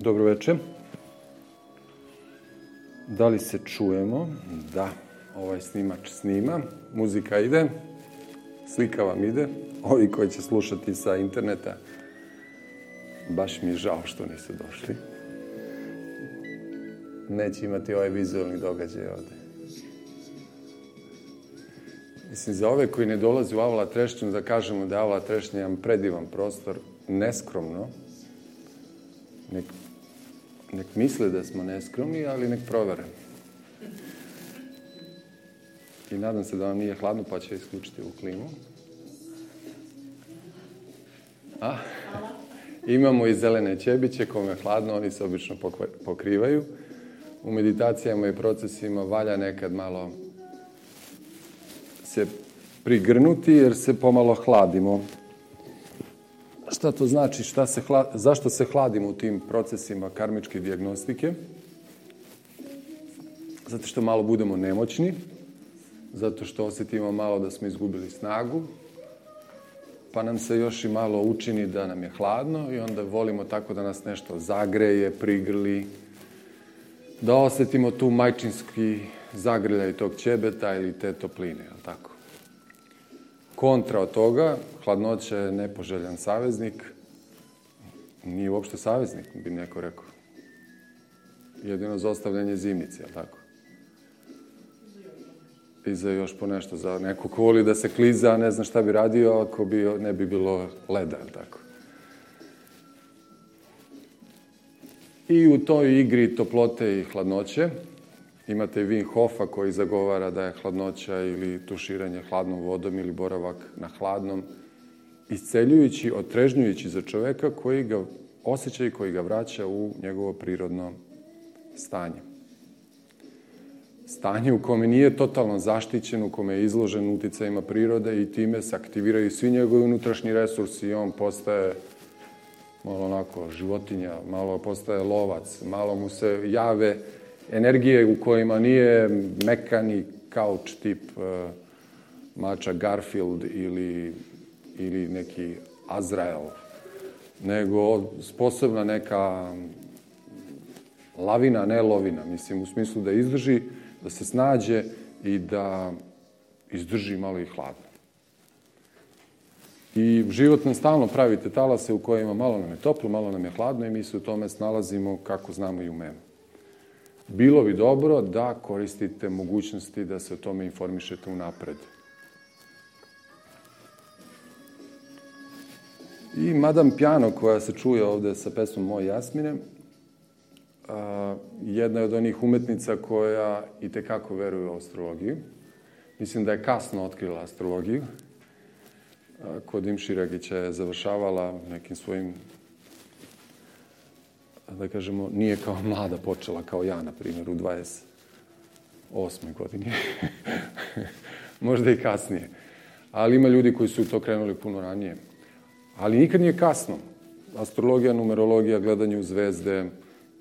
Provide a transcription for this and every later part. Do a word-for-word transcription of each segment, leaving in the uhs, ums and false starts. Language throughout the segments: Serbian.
Dobro večer. Da li se čujemo? Da. Ovaj snimač snima. Muzika ide. Slika vam ide. Ovi koji će slušati sa interneta, baš mi je žao što niste došli. Neće imati ovaj vizualni događaj ovde. Mislim, za ove koji ne dolazi u Avala Trešnju, da kažemo da je Avala Trešnja jedan predivan prostor, neskromno. Nek, nek misle da smo neskromni, ali nek provere. I nadam se da vam nije hladno, pa će isključiti u klimu. A? Imamo i zelene ćebiće, kome je hladno, oni se obično pokrivaju. U meditacijama i procesima valja nekad malo se prigrnuti, jer se pomalo hladimo. Šta to znači? Šta se hla... Zašto se hladimo u tim procesima karmičke dijagnostike? Zato što malo budemo nemoćni, zato što osjetimo malo da smo izgubili snagu, pa nam se još i malo učini da nam je hladno i onda volimo tako da nas nešto zagreje, prigrli, da osjetimo tu majčinski zagrljaj tog ćebeta ili te topline, jel tako? Kontra od toga, hladnoća je nepoželjan saveznik, nije uopšte saveznik, bi neko rekao. Jedino za ostavljanje zimnice, jel tako? I za još po nešto, za neko ko voli da se kliza, ne zna šta bi radio ako bi, ne bi bilo leda, jel tako? I u toj igri toplote i hladnoće imate Wim Hofa koji zagovara da je hladnoća ili tuširanje hladnom vodom ili boravak na hladnom isceljujući, otrežnjujući za čoveka koji ga osjeća i koji ga vraća u njegovo prirodno stanje. Stanje u kome nije totalno zaštićen, u kome je izložen uticajima prirode i time se aktiviraju svi njegovi unutrašnji resursi i on postaje malo onako životinja, malo postaje lovac, malo mu se jave energije u kojima nije mekani kauč tip uh, mača Garfield ili, ili neki Azrael, nego sposobna neka lavina, ne lovina, mislim, u smislu da izdrži, da se snađe i da izdrži malo i hladno. I život nam stalno pravi te talase u kojima malo nam je toplo, malo nam je hladno i mi se u tome snalazimo kako znamo i umemo. Bilo bi dobro da koristite mogućnosti da se o tome informišete unapred. I Madame Piano, koja se čuje ovde sa pesmom Moj Jasmine, a, jedna je od onih umetnica koja i tekako veruje u astrologiju. Mislim da je kasno otkrila astrologiju. A, kod Imširagića je završavala nekim svojim, da kažemo, nije kao mlada počela, kao ja, na primjer, u dvadeset osmoj godini. Možda i kasnije. Ali ima ljudi koji su to krenuli puno ranije. Ali nikad nije kasno. Astrologija, numerologija, gledanje u zvezde,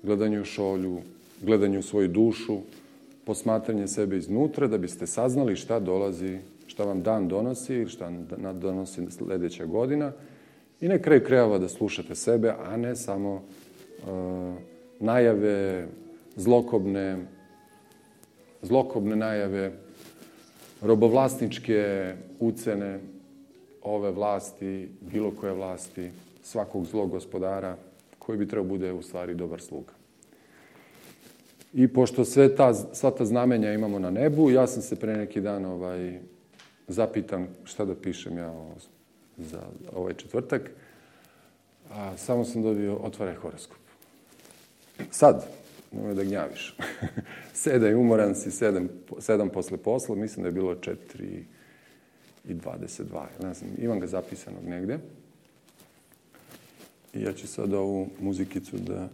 gledanje u šolju, gledanje u svoju dušu, posmatranje sebe iznutra da biste saznali šta dolazi, šta vam dan donosi, šta donosi sledeća godina i na kraju krajeva da slušate sebe, a ne samo Uh, najave, zlokobne, zlokobne najave, robovlasničke ucene ove vlasti, bilo koje vlasti, svakog zlog gospodara, koji bi trebao bude u stvari dobar sluga. I pošto sve ta, sva ta znamenja imamo na nebu, ja sam se pre neki dan ovaj, zapitan šta da pišem ja o, za ovaj četvrtak, a samo sam dobio otvaraj horoskop. Sad, nemoj da gnjaviš. Sedaj, umoran si, sedam, sedam posle posla, mislim da je bilo četiri i dvadeset dva. Ne znam, imam ga zapisanog negde. I ja ću sad ovu muzikicu da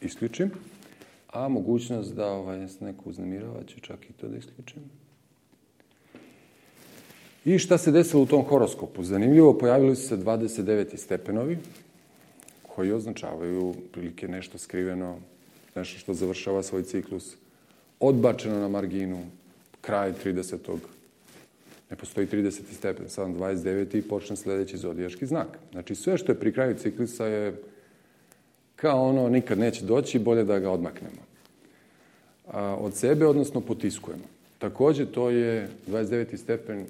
isključim. A mogućnost da ovaj, se neko uznemirava, ću čak i to da isključim. I šta se desilo u tom horoskopu? Zanimljivo, pojavili su se dvadeset deveti stepenovi, koji označavaju prilike nešto skriveno, nešto što završava svoj ciklus, odbačeno na marginu, kraj tridesetog Ne postoji trideseti stepen, sad dvadeset deveti i počne sledeći zodijaški znak. Znači sve što je pri kraju ciklusa je kao ono nikad neće doći, bolje da ga odmaknemo od sebe, odnosno potiskujemo. Također to je dvadeset deveti stepen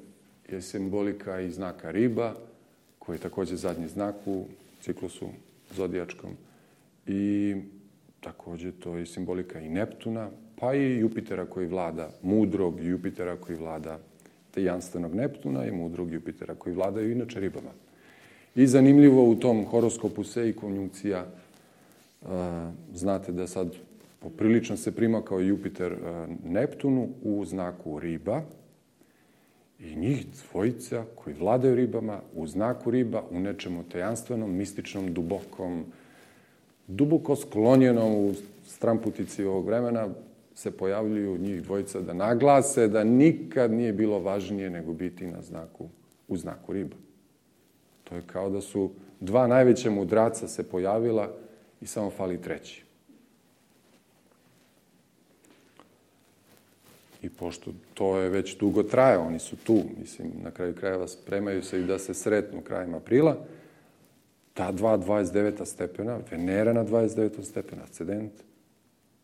je simbolika i znaka riba, koji je također zadnji znak u ciklusu zodijačkom. I također to je simbolika i Neptuna, pa i Jupitera koji vlada, mudrog Jupitera koji vlada tajanstvenog Neptuna i mudrog Jupitera koji vladaju inače ribama. I zanimljivo u tom horoskopu se i konjunkcija, znate da sad poprilično se primakao Jupiter Neptunu u znaku riba i njih dvojica koji vladaju ribama u znaku riba u nečemu tajanstvenom, mističnom, dubokom, duboko sklonjenom u stramputici ovog vremena se pojavljuju njih dvojica da naglase da nikad nije bilo važnije nego biti na znaku, u znaku riba. To je kao da su dva najveća mudraca se pojavila i samo fali treći. I pošto to je već dugo traje, oni su tu, mislim, na kraju krajeva spremaju se i da se sretnu krajem aprila, ta dva dvadeset deveta stepena, Venera na dvadeset devetom stepenu, ascendent,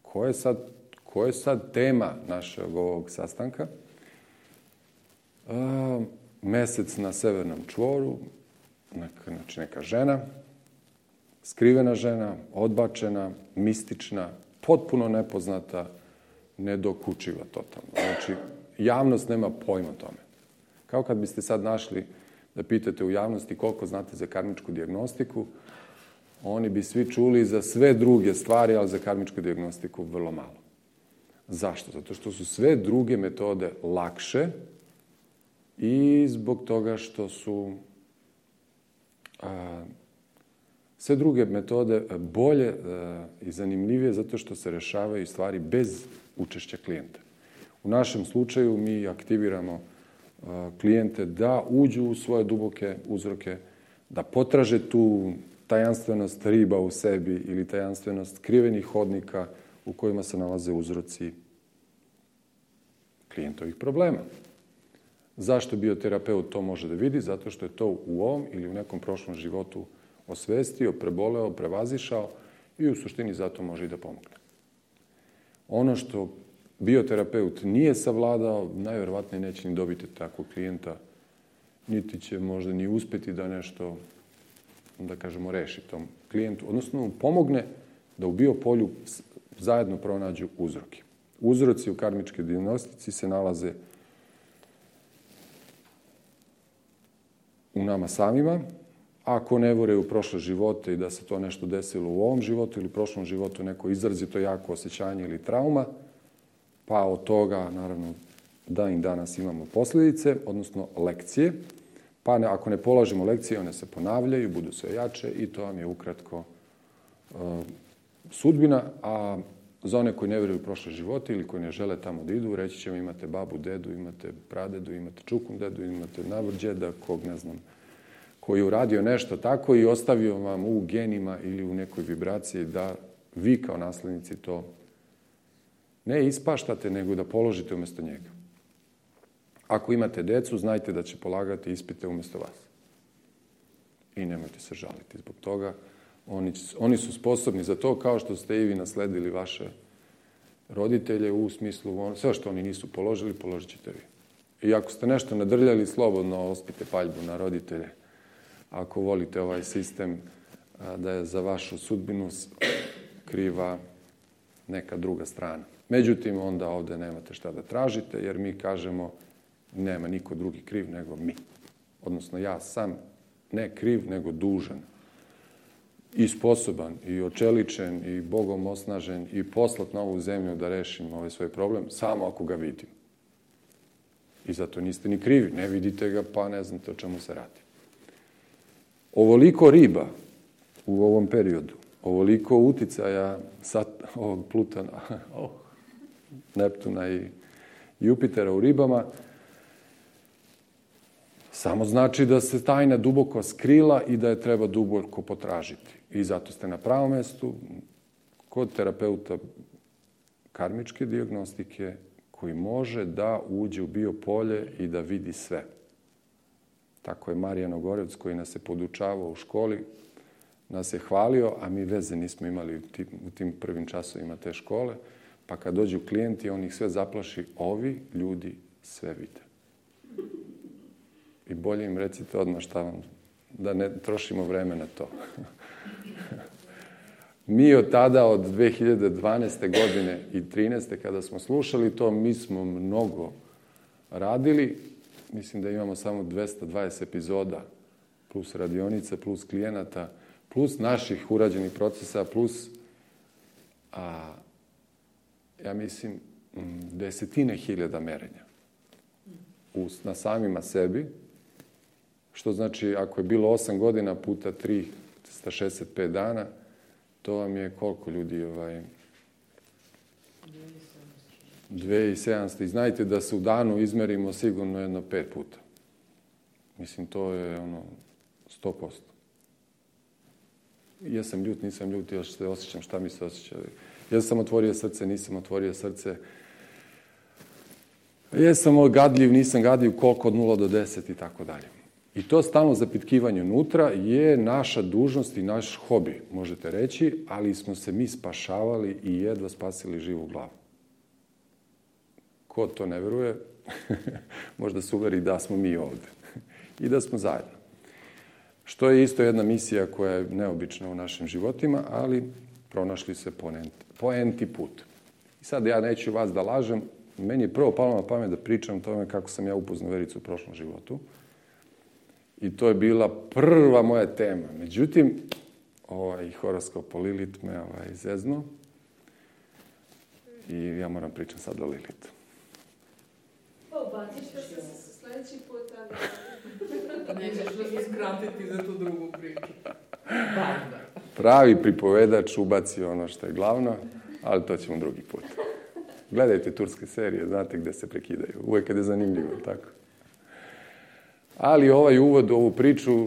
ko je sad, ko je sad tema našeg ovog sastanka? A, mesec na severnom čvoru, neka, znači neka žena, skrivena žena, odbačena, mistična, potpuno nepoznata, nedokučiva totalno. Znači, javnost nema pojma o tome. Kao kad biste sad našli da pitate u javnosti koliko znate za karmičku dijagnostiku, oni bi svi čuli za sve druge stvari, ali za karmičku dijagnostiku vrlo malo. Zašto? Zato što su sve druge metode lakše i zbog toga što su a, sve druge metode bolje a, i zanimljivije zato što se rešavaju stvari bez učešća klijenta. U našem slučaju mi aktiviramo a, klijente da uđu u svoje duboke uzroke, da potraže tu tajanstvenost riba u sebi ili tajanstvenost skrivenih hodnika u kojima se nalaze uzroci klijentovih problema. Zašto bioterapeut to može da vidi? Zato što je to u ovom ili u nekom prošlom životu osvestio, preboleo, prevazišao i u suštini zato može i da pomogne. Ono što bioterapeut nije savladao, najverovatnije neće ni dobiti takvog klijenta, niti će možda ni uspeti da nešto, da kažemo, reši tom klijentu, odnosno mu pomogne da u biopolju zajedno pronađu uzroke. Uzroci u karmičkoj dijagnostici se nalaze u nama samima. Ako ne veruju u prošle živote i da se to nešto desilo u ovom životu ili u prošlom životu, neko izrazito jako osjećanje ili trauma, pa od toga, naravno, da i danas imamo posljedice, odnosno lekcije. Pa ne, ako ne polažemo lekcije, one se ponavljaju, budu sve jače i to vam je ukratko uh, sudbina. A za one koji ne vjeruju u prošle živote ili koji ne žele tamo da idu, reći ćemo imate babu, dedu, imate pradedu, imate čukun dedu, imate navrđeda, kog ne znam, koji je uradio nešto tako i ostavio vam u genima ili u nekoj vibraciji da vi kao naslednici to ne ispaštate, nego da položite umjesto njega. Ako imate decu, znajte da će polagati ispite umjesto vas. I nemojte se žaliti zbog toga. Oni, oni su sposobni za to, kao što ste i vi nasledili vaše roditelje u smislu, sve što oni nisu položili, položit ćete vi. I ako ste nešto nadrljali, slobodno ospite paljbu na roditelje. Ako volite ovaj sistem da je za vašu sudbinu kriva neka druga strana. Međutim, onda ovdje nemate šta da tražite, jer mi kažemo nema niko drugi kriv nego mi. Odnosno, ja sam ne kriv, nego dužan. I sposoban, i očeličen, i Bogom osnažen, i poslat na ovu zemlju da rešim ovaj svoj problem, samo ako ga vidim. I zato niste ni krivi, ne vidite ga, pa ne znate o čemu se radi. Ovoliko riba u ovom periodu, ovoliko uticaja sat, ovog Plutona, oh, Neptuna i Jupitera u ribama, samo znači da se tajna duboko skrila i da je treba duboko potražiti. I zato ste na pravom mestu kod terapeuta karmičke dijagnostike koji može da uđe u biopolje i da vidi sve. Tako je Marijan Ogorevc koji nas je podučavao u školi nas je hvalio, a mi veze nismo imali u tim, u tim prvim časovima te škole. Pa kad dođu klijenti, on ih sve zaplaši, ovi ljudi sve vide. I bolje im recite odmah šta vam, da ne trošimo vreme na to. Mi od tada, od dve hiljade dvanaeste. godine i trinaeste. kada smo slušali to, mi smo mnogo radili. Mislim da imamo samo dvesta dvadeset epizoda, plus radionica, plus klijenata, plus naših urađenih procesa, plus, a, ja mislim, desetine hiljada merenja u, na samima sebi, što znači, ako je bilo osam godina puta trista šezdeset pet dana, to vam je koliko ljudi, ovaj, dve hiljade sedamsto. I znajte da se u danu izmerimo sigurno jedno pet puta. Mislim, to je ono, sto posto. Ja sam ljut, nisam ljut, još se osjećam šta mi se osjeća. Ja sam otvorio srce, nisam otvorio srce. Jesam gadljiv, nisam gadljiv, koliko od nula do deset i tako dalje. I to stalno zapitkivanje unutra je naša dužnost i naš hobi, možete reći, ali smo se mi spašavali i jedva spasili živu glavu. Ko to ne veruje, možda se uveri da smo mi ovde i da smo zajedno. Što je isto jedna misija koja je neobična u našim životima, ali pronašli se po enti put. I sad ja neću vas da lažem, meni je prvo palo na pamet da pričam o tome kako sam ja upoznao Vericu u prošlom životu. I to je bila prva moja tema. Međutim, ovaj horoskop o Lilit me ovaj, zeznuo. I ja moram pričam sad o Lilitu. Pa ubaciš to se sljedeći put, ali... Nećeš da se skratiti za tu drugu priču. Banda. Pravi pripovedač ubaci ono što je glavno, ali to ćemo drugi put. Gledajte turske serije, znate gde se prekidaju. Uvijek kad je zanimljivo, tako. Ali ovaj uvod u ovu priču, e,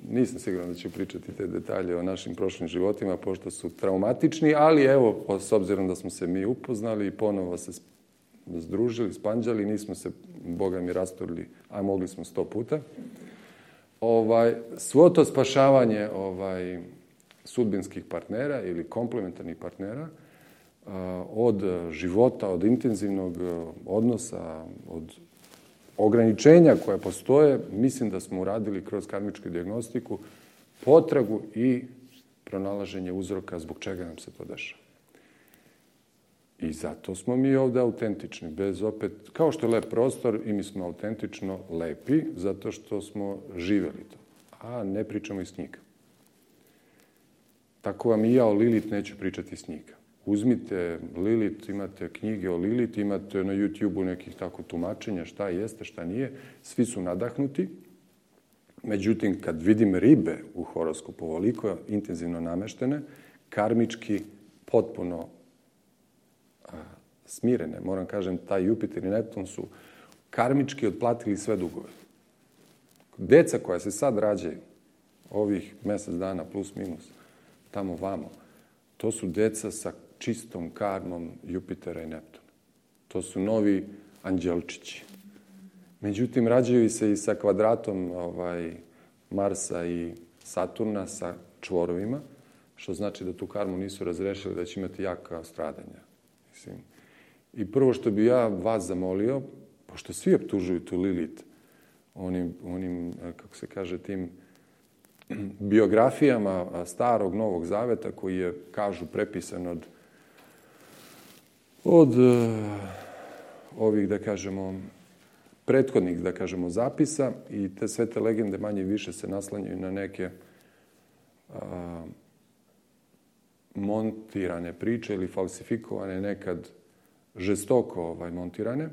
nisam siguran da ću pričati te detalje o našim prošlim životima, pošto su traumatični, ali evo, s obzirom da smo se mi upoznali i ponovo se združili, spanđali, nismo se, Boga mi, rasturili, a mogli smo sto puta. Ovaj, svo to spašavanje ovaj, sudbinskih partnera ili komplementarnih partnera, od života, od intenzivnog odnosa, od ograničenja koja postoje, mislim da smo uradili kroz karmičku dijagnostiku potragu i pronalaženje uzroka zbog čega nam se to dešava. I zato smo mi ovde autentični, bez opet, kao što je lep prostor, i mi smo autentično lepi, zato što smo živeli to, a ne pričamo iz knjiga. Tako vam i ja o Lilit neću pričati iz knjiga. Uzmite Lilit, imate knjige o Lilit, imate na YouTube-u nekih tako tumačenja šta jeste, šta nije. Svi su nadahnuti. Međutim, kad vidim ribe u horoskopu ovoliko intenzivno nameštene, karmički potpuno a, smirene, moram kažem, taj Jupiter i Neptun su karmički otplatili sve dugove. Deca koja se sad rađaju, ovih mjesec dana plus minus, tamo vamo, to su deca sa čistom karmom Jupitera i Neptuna. To su novi anđelčići. Međutim, rađaju se i sa kvadratom ovaj, Marsa i Saturna sa čvorovima, što znači da tu karmu nisu razrešili, da će imati jaka stradanja. Mislim. I prvo što bi ja vas zamolio, pošto svi optužuju tu Lilit, onim, onim kako se kaže, tim biografijama starog Novog Zaveta, koji je, kažu, prepisan od, od uh, ovih, da kažemo, prethodnih, da kažemo, zapisa, i te sve te legende manje i više se naslanjaju na neke uh, montirane priče ili falsifikovane, nekad žestoko ovaj, montirane.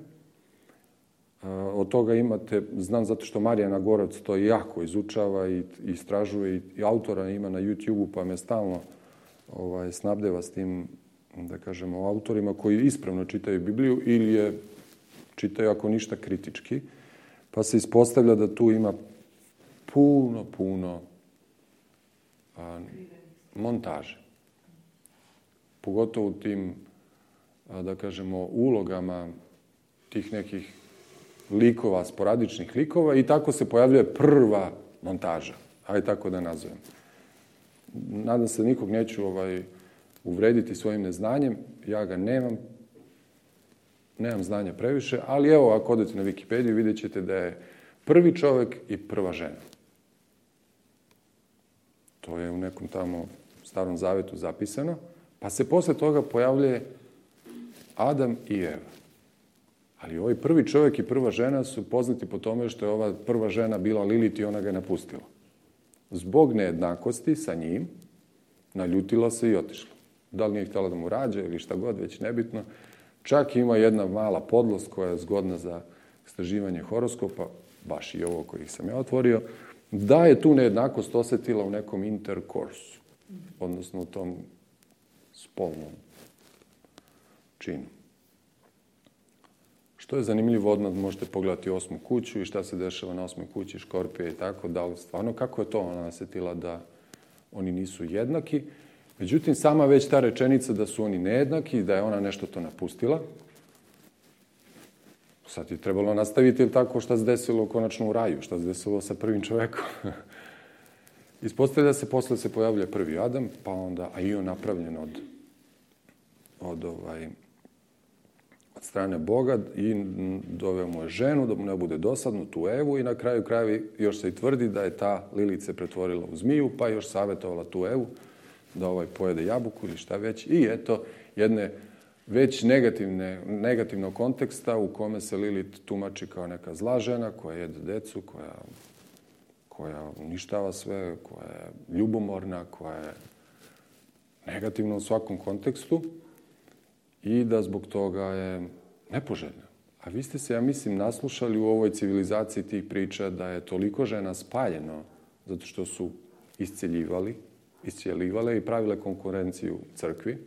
Od toga imate, znam zato što Marijana Gorac to jako izučava i istražuje, i, i autora ima na YouTube-u, pa me stalno ovaj, snabdeva s tim, da kažemo, autorima koji ispravno čitaju Bibliju ili je čitaju, ako ništa, kritički. Pa se ispostavlja da tu ima puno, puno a, montaže. Pogotovo u tim, a, da kažemo, ulogama tih nekih likova, sporadičnih likova, i tako se pojavljuje prva montaža, ajde tako da nazovem. nadam se nikog neću ovaj, uvrediti svojim neznanjem, ja ga nemam, nemam znanja previše, ali evo, ako odete na Wikipediju, vidjet ćete da je prvi čovjek i prva žena. To je u nekom tamo starom zavetu zapisano, pa se posle toga pojavljuje Adam i Eva. Ali ovaj prvi čovjek i prva žena su poznati po tome što je ova prva žena bila Lilit i ona ga je napustila. Zbog nejednakosti sa njim, naljutila se i otišla. Da li nije htjela da mu rađa ili šta god, već nebitno. Čak ima jedna mala podlost koja je zgodna za istraživanje horoskopa, baš i ovo koji sam ja otvorio, da je tu nejednakost osjetila u nekom interkorsu, odnosno u tom spolnom činu. Što je zanimljivo, odmah možete pogledati osmu kuću i šta se dešava na osmoj kući Škorpije i tako, da li stvarno, kako je to ona osjetila da oni nisu jednaki. Međutim, sama već ta rečenica da su oni nejednaki, da je ona nešto to napustila, sad je trebalo nastaviti tako šta se desilo konačno u raju, šta se desilo sa prvim čovekom. Ispostavlja se, posle se pojavlja prvi Adam, pa onda, a i on napravljen od, od, ovaj, od strane Boga i doveo mu je ženu, da mu ne bude dosadno, tu Evu, i na kraju krajevi još se i tvrdi da je ta Lilit se pretvorila u zmiju, pa još savjetovala tu Evu da ovaj pojede jabuku ili šta već. I eto, jedne već negativne, negativnog konteksta u kome se Lilit tumači kao neka zla žena koja jede decu, koja, koja uništava sve, koja je ljubomorna, koja je negativna u svakom kontekstu i da zbog toga je nepoželjna. A vi ste se, ja mislim, naslušali u ovoj civilizaciji tih priča da je toliko žena spaljeno zato što su isceljivali, iscijeljivale i pravile konkurenciju crkvi,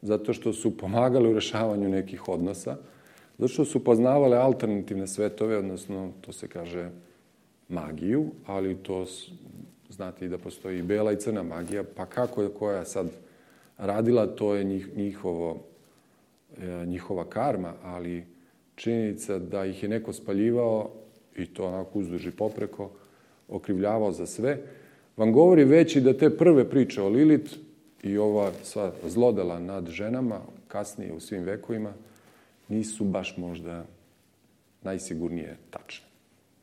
zato što su pomagali u rešavanju nekih odnosa, zato što su poznavale alternativne svetove, odnosno, to se kaže, magiju, ali to znate i da postoji i bela i crna magija, pa kako je koja sad radila, to je njih, njihovo, njihova karma, ali činjenica da ih je neko spaljivao, i to onako uzduž i popreko, okrivljavao za sve, vam govori već i da te prve priče o Lilit i ova sva zlodela nad ženama, kasnije u svim vekovima, nisu baš možda najsigurnije tačne.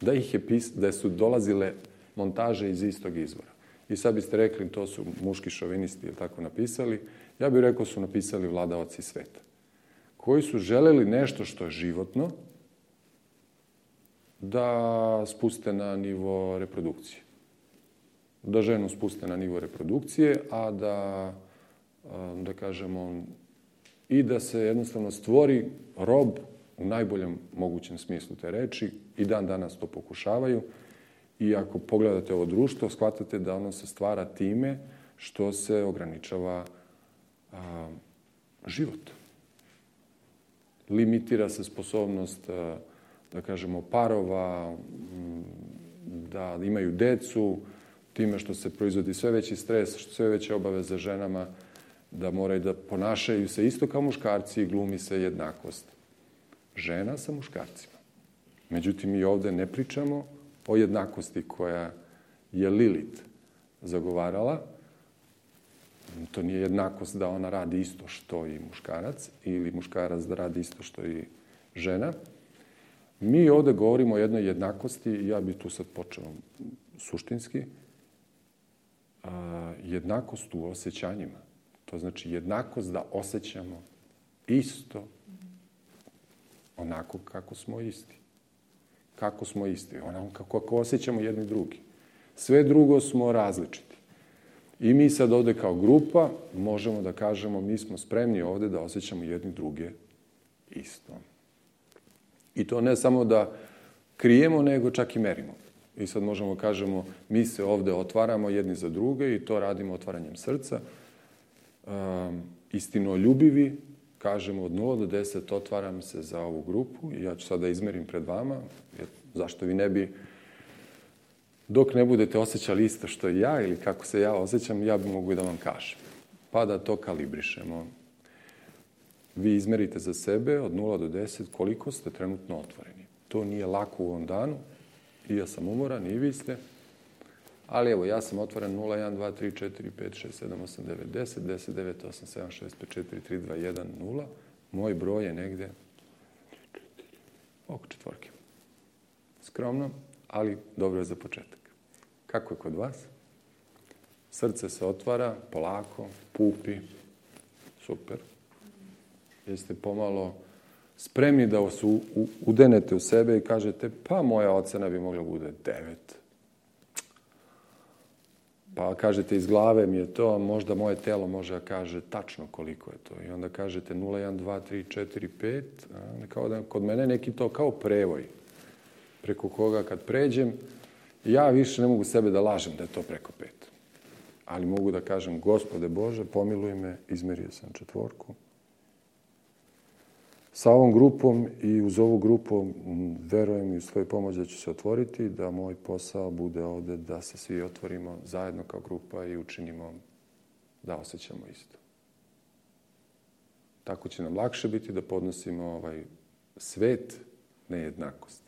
Da, ih je pis, da su dolazile montaže iz istog izvora. I sad biste rekli, to su muški šovinisti ili tako napisali. Ja bih rekao su napisali vladaoci sveta, koji su želeli nešto što je životno da spuste na nivo reprodukcije. Da ženu spuste na nivo reprodukcije, a da, da kažemo, i da se jednostavno stvori rob u najboljem mogućem smislu te reči, i dan danas to pokušavaju. I ako pogledate ovo društvo, shvatate da ono se stvara time što se ograničava a, život. Limitira se sposobnost, a, da kažemo, parova, da imaju decu, time što se proizvodi sve veći stres, sve veće obaveze ženama, da moraju da ponašaju se isto kao muškarci i glumi se jednakost žena sa muškarcima. Međutim, mi ovde ne pričamo o jednakosti koja je Lilit zagovarala. To nije jednakost da ona radi isto što i muškarac ili muškarac da radi isto što i žena. Mi ovde govorimo o jednoj jednakosti i ja bih tu sad počeo suštinski. Jednakost u osjećanjima. To znači jednakost da osjećamo isto onako kako smo isti. Kako smo isti, onako kako, kako osjećamo jedni drugi. Sve drugo smo različiti. I mi sad ovde kao grupa možemo da kažemo mi smo spremni ovde da osjećamo jedni druge isto. I to ne samo da krijemo, nego čak i merimo. I sad možemo kažemo mi se ovde otvaramo jedni za druge i to radimo otvaranjem srca. Um, istinoljubivi, kažemo od nula do deset otvaram se za ovu grupu i ja ću sad da izmerim pred vama, jer zašto vi ne bi, dok ne budete osjećali isto što i ja ili kako se ja osjećam, ja bi mogu i da vam kažem. Pa da to kalibrišemo. Vi izmerite za sebe od nula do deset koliko ste trenutno otvoreni. To nije lako u ovom danu i ja sam umoran i vi ste. Ali evo, ja sam otvoren nula jedan dva tri četiri pet šest sedam osam devet deset, deset devet osam sedam šest pet četiri tri dva jedan nula. Moj broj je negde oko četvorke. Skromno, ali dobro je za početak. Kako je kod vas? Srce se otvara, polako, pupi. Super. Jeste pomalo spremni da vas u, u, udenete u sebe i kažete, pa moja ocena bi mogla bude devet. Pa kažete, iz glave mi je to, možda moje telo može da kaže tačno koliko je to. I onda kažete nula jedan dva tri četiri pet, a, kao da kod mene neki to kao prevoj. Preko koga kad pređem, ja više ne mogu sebe da lažem da je to preko pet. Ali mogu da kažem, Gospode Bože, pomiluj me, izmerio sam četvorku. Sa ovom grupom i uz ovu grupu verujem i u svoju pomoć da ću se otvoriti, da moj posao bude ovde da se svi otvorimo zajedno kao grupa i učinimo da osjećamo isto. Tako će nam lakše biti da podnosimo ovaj svet nejednakosti.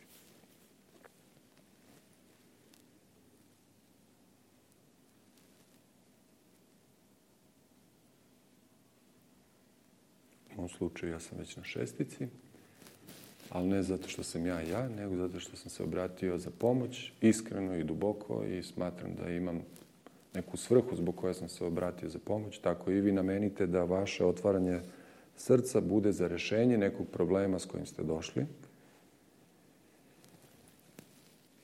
U ovom slučaju ja sam već na šestici, ali ne zato što sam ja ja, nego zato što sam se obratio za pomoć, iskreno i duboko i smatram da imam neku svrhu zbog koje sam se obratio za pomoć. Tako i vi namenite da vaše otvaranje srca bude za rešenje nekog problema s kojim ste došli.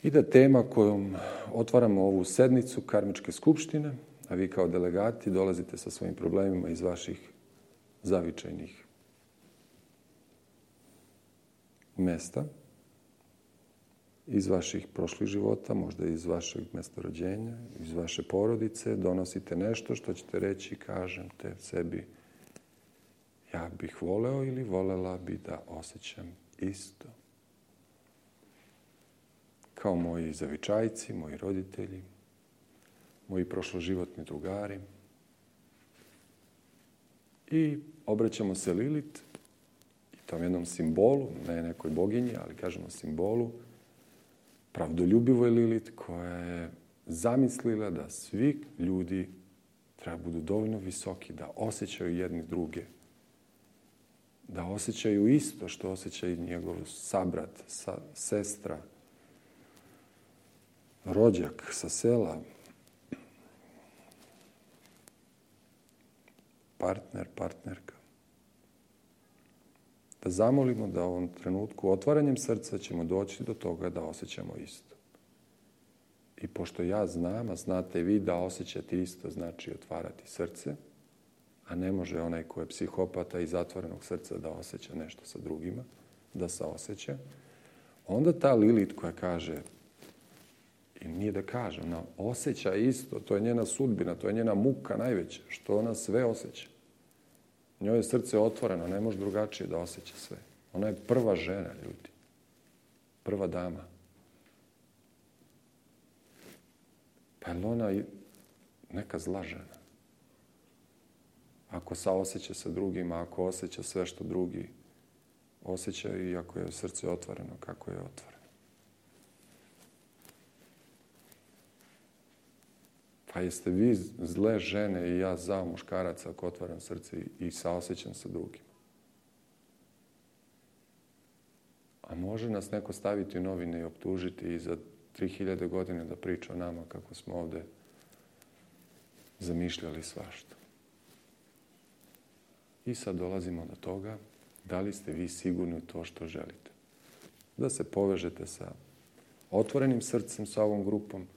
I da tema kojom otvaramo ovu sednicu karmičke skupštine, a vi kao delegati dolazite sa svojim problemima iz vaših zavičajnih mesta, iz vaših prošlih života, možda iz vašeg mesta rođenja, iz vaše porodice, donosite nešto što ćete reći, kažete sebi, ja bih voleo ili volela bi da osjećam isto. Kao moji zavičajci, moji roditelji, moji prošloživotni drugari. I obraćamo se Lilit, i tom jednom simbolu, ne nekoj boginji, ali kažemo simbolu, pravdoljubivoj Lilit, koja je zamislila da svi ljudi treba budu dovoljno visoki, da osjećaju jedni druge, da osjećaju isto što osjećaju njegov sabrat, sa, sestra, rođak sa sela, partner, partnerka. Da zamolimo da u ovom trenutku otvaranjem srca ćemo doći do toga da osjećamo isto. I pošto ja znam, a znate vi da osjećati isto znači otvarati srce, a ne može onaj ko je psihopata iz zatvorenog srca da osjeća nešto sa drugima, da saosjeća, onda ta Lilit koja kaže, i nije da kaže, ona osjeća isto, to je njena sudbina, to je njena muka najveća, što ona sve osjeća. Njoj je srce otvoreno, ne može drugačije da osjeća sve. Ona je prva žena, ljudi. Prva dama. Pa je li ona neka zla žena? Ako saosjeća sa drugima, ako osjeća sve što drugi osjećaju i ako je srce otvoreno, kako je otvoreno. Pa jeste vi zle žene i ja za muškaraca ako otvaram srce i saosjećam sa drugima. A može nas neko staviti u novine i optužiti i za tri hiljade godine da priča o nama kako smo ovde zamišljali svašta. I sad dolazimo do toga da li ste vi sigurni u to što želite. Da se povežete sa otvorenim srcem sa ovom grupom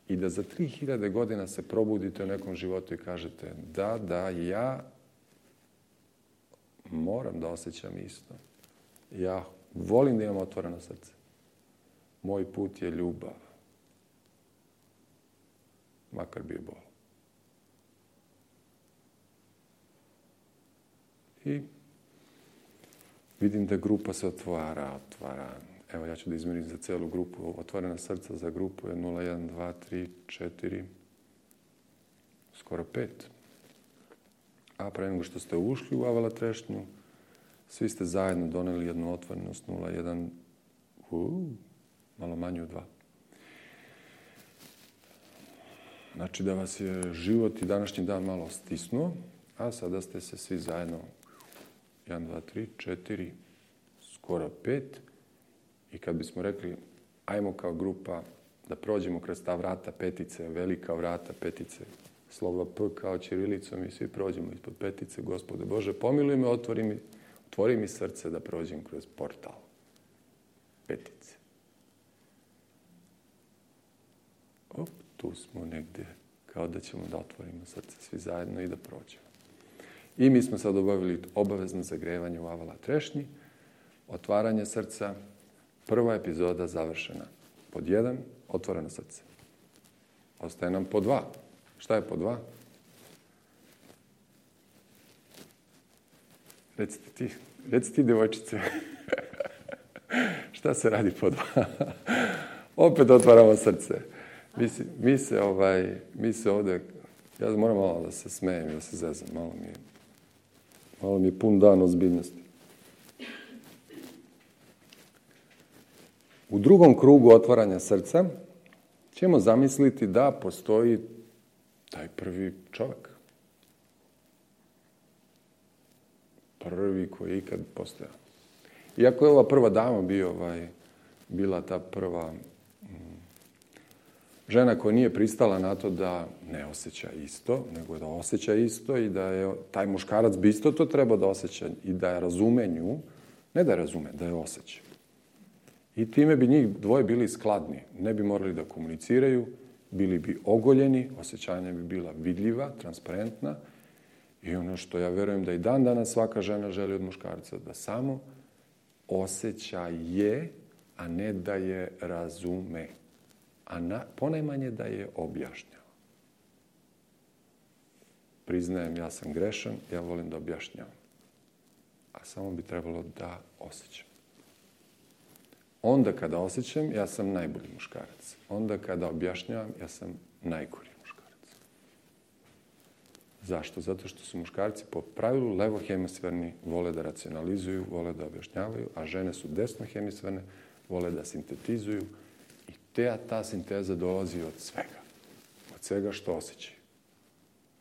i da za tri hiljade godina se probudite u nekom životu i kažete da, da, ja moram da osjećam isto. Ja volim da imam otvoreno srce. Moj put je ljubav. Makar bio bol. I vidim da grupa se otvara, otvara. Evo, ja ću da izmerim za celu grupu. Otvorena srca za grupu je nula jedan dva tri četiri, skoro pet. A pre nego što ste ušli u Avala trešnju, svi ste zajedno doneli jednu otvorenost nula jedan, uh, malo manje od dva. Znači da vas je život i današnji dan malo stisnuo, a sada ste se svi zajedno jedan, dva, tri, četiri, skoro pet. I kad bismo rekli, ajmo kao grupa da prođemo kroz ta vrata petice, velika vrata petice, slova P kao ćirilicom i svi prođemo ispod petice, Gospode Bože, pomiluj me, otvori mi, otvori mi srce da prođem kroz portal petice. Op, tu smo negdje, kao da ćemo da otvorimo srce svi zajedno i da prođemo. I mi smo sad obavili obavezno zagrevanje u Avala trešnji, otvaranje srca, prva epizoda završena. Pod jedan, otvoreno srce. Ostaje nam po dva. Šta je po dva? Recite ti, recite ti, devojčice. Šta se radi po dva? Opet otvaramo srce. Mi se, mi se, ovaj, mi se ovdje, ja moram malo da se smejem i da se zezam. Malo mi je, malo mi je pun dan ozbiljnosti. U drugom krugu otvaranja srca ćemo zamisliti da postoji taj prvi čovjek. Prvi koji je ikad postojao. Iako je ova prva dama bio, ovaj, bila ta prva mm, žena koja nije pristala na to da ne osjeća isto, nego da osjeća isto i da je taj muškarac bi isto to trebao da osjeća i da je razume nju, ne da je razume, da je osjeća. I time bi njih dvoje bili skladni. Ne bi morali da komuniciraju, bili bi ogoljeni, osjećanja bi bila vidljiva, transparentna. I ono što ja verujem da i dan danas svaka žena želi od muškarca, da samo osjeća je, a ne da je razume. A na, ponajmanje da je objašnjava. Priznajem, ja sam grešan, ja volim da objašnjavam. A samo bi trebalo da osjećam. Onda kada osjećam, ja sam najbolji muškarac. Onda kada objašnjavam, ja sam najgori muškarac. Zašto? Zato što su muškarci po pravilu levohemisferni, vole da racionalizuju, vole da objašnjavaju, a žene su desnohemisferne, vole da sintetizuju. I te, ta sinteza dolazi od svega. Od svega što osjećaju.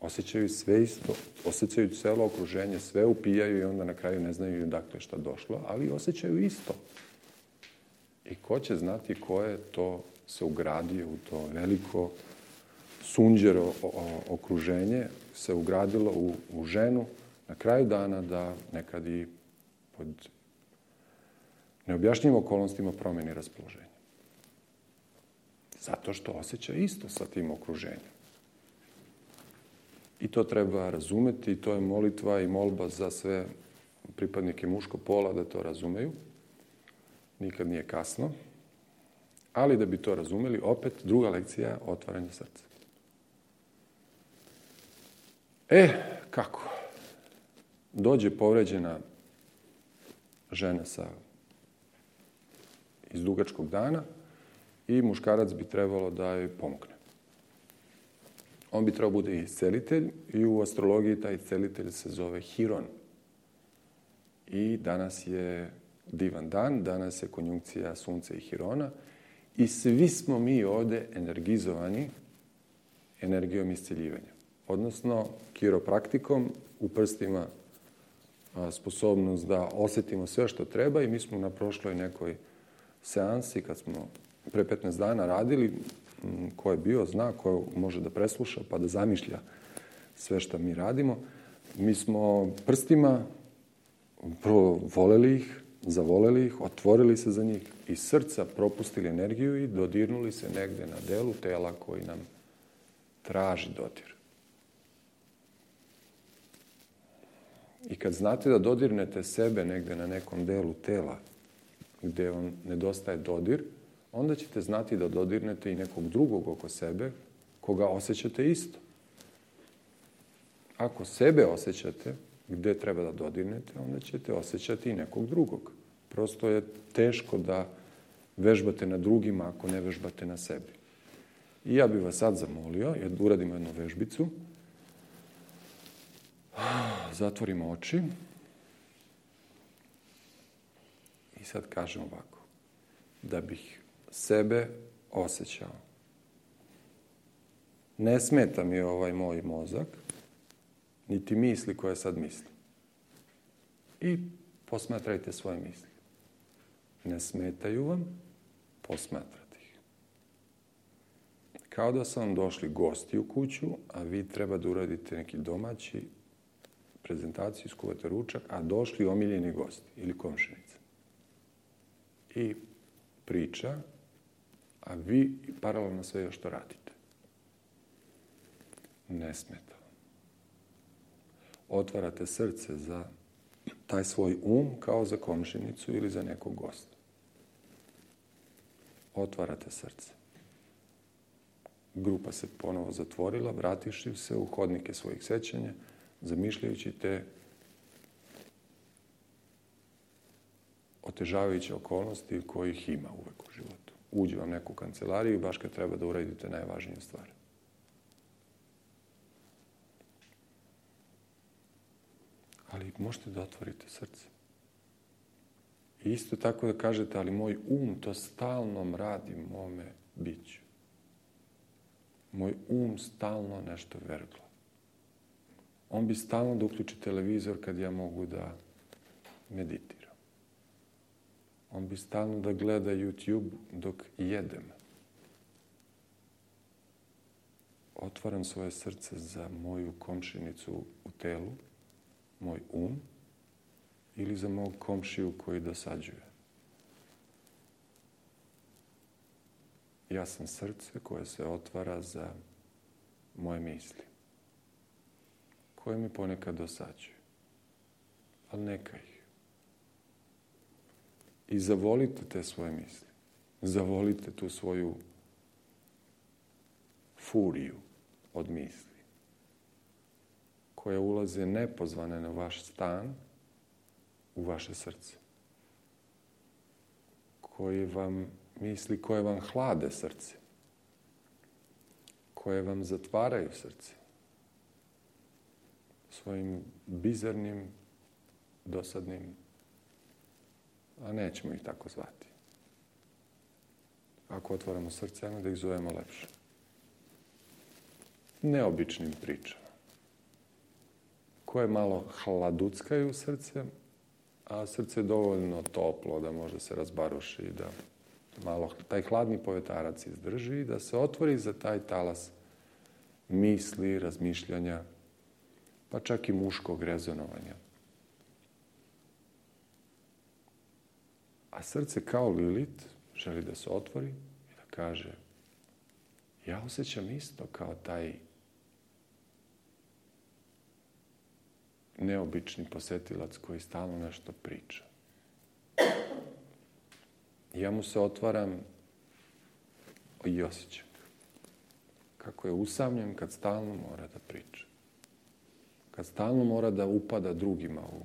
Osjećaju sve isto, osjećaju celo okruženje, sve upijaju i onda na kraju ne znaju dakle šta došlo, ali osjećaju isto. I ko će znati ko je to se ugradio u to veliko sunđero okruženje, se ugradilo u, u ženu na kraju dana da nekad i pod neobjašnjivim okolnostima promeni raspoloženje. Zato što osjeća isto sa tim okruženjem. I to treba razumeti, i to je molitva i molba za sve pripadnike muškog pola da to razumeju. Nikad nije kasno. Ali da bi to razumeli, opet druga lekcija je otvaranje srca. E, kako? Dođe povređena žena sa iz dugačkog dana i muškarac bi trebalo da joj pomogne. On bi trebao bude iscelitelj i u astrologiji taj iscelitelj se zove Hiron. I danas je divan dan, danas je konjunkcija Sunca i Hirona i svi smo mi ovdje energizovani energijom isceljivanja. Odnosno, kiropraktikom u prstima sposobnost da osjetimo sve što treba i mi smo na prošloj nekoj seansi, kad smo pre petnaest dana radili, ko je bio, zna, ko može da presluša pa da zamišlja sve što mi radimo. Mi smo prstima prvo voleli ih, zavoleli ih, otvorili se za njih i srca propustili energiju i dodirnuli se negde na delu tela koji nam traži dodir. I kad znate da dodirnete sebe negde na nekom delu tela gde vam nedostaje dodir, onda ćete znati da dodirnete i nekog drugog oko sebe koga osjećate isto. Ako sebe osjećate gde treba da dodirnete, onda ćete osjećati i nekog drugog. Prosto je teško da vežbate na drugima ako ne vežbate na sebi. I ja bih vas sad zamolio, da uradimo jednu vežbicu. Zatvorimo oči. I sad kažem ovako. Da bih sebe osjećao Ne smeta mi ovaj moj mozak, niti misli koje sad mislim. I posmatrajte svoje misli. Ne smetaju vam, posmatrate ih. Kao da su vam došli gosti u kuću, a vi treba da uradite neki domaći prezentaciju, skuvate ručak, a došli omiljeni gosti ili komšinica. I priča, a vi paralelno sve još što radite. Ne smeta vam. Otvarate srce za taj svoj um kao za komšinicu ili za nekog gosta. Otvarate srce. Grupa se ponovo zatvorila, vrativši se u hodnike svojih sećanja, zamišljajući te otežavajuće okolnosti kojih ima uvek u životu. Uđe vam neku kancelariju baš kad treba da uradite najvažnije stvari. Ali možete da otvorite srce. I isto tako da kažete, ali moj um to stalno radi mome biću. Moj um stalno nešto vergla. On bi stalno da uključi televizor kad ja mogu da meditiram. On bi stalno da gleda YouTube dok jedem. Otvaram svoje srce za moju komšinicu u telu, moj um, ili za mog komšiju koji dosađuje. Ja sam srce koje se otvara za moje misli, koje mi ponekad dosađuju. Ali neka ih. I zavolite te svoje misli. Zavolite tu svoju furiju od misli, koje ulaze nepozvane na vaš stan, u vaše srce. Koje vam misli, koje vam hlade srce. Koje vam zatvaraju srce. Svojim bizarnim, dosadnim, a nećemo ih tako zvati. Ako otvaramo srce, ajmo da ih zovemo lepše. Neobičnim pričama. Koje malo hladuckaju srce, a srce je dovoljno toplo da može se razbaruši, da malo taj hladni povetarac izdrži i da se otvori za taj talas misli, razmišljanja, pa čak i muškog rezonovanja. A srce kao Lilit želi da se otvori i da kaže, ja osjećam isto kao taj neobični posetilac koji stalno nešto priča. Ja mu se otvaram i osjećam kako je usamljen kad stalno mora da priča. Kad stalno mora da upada drugima u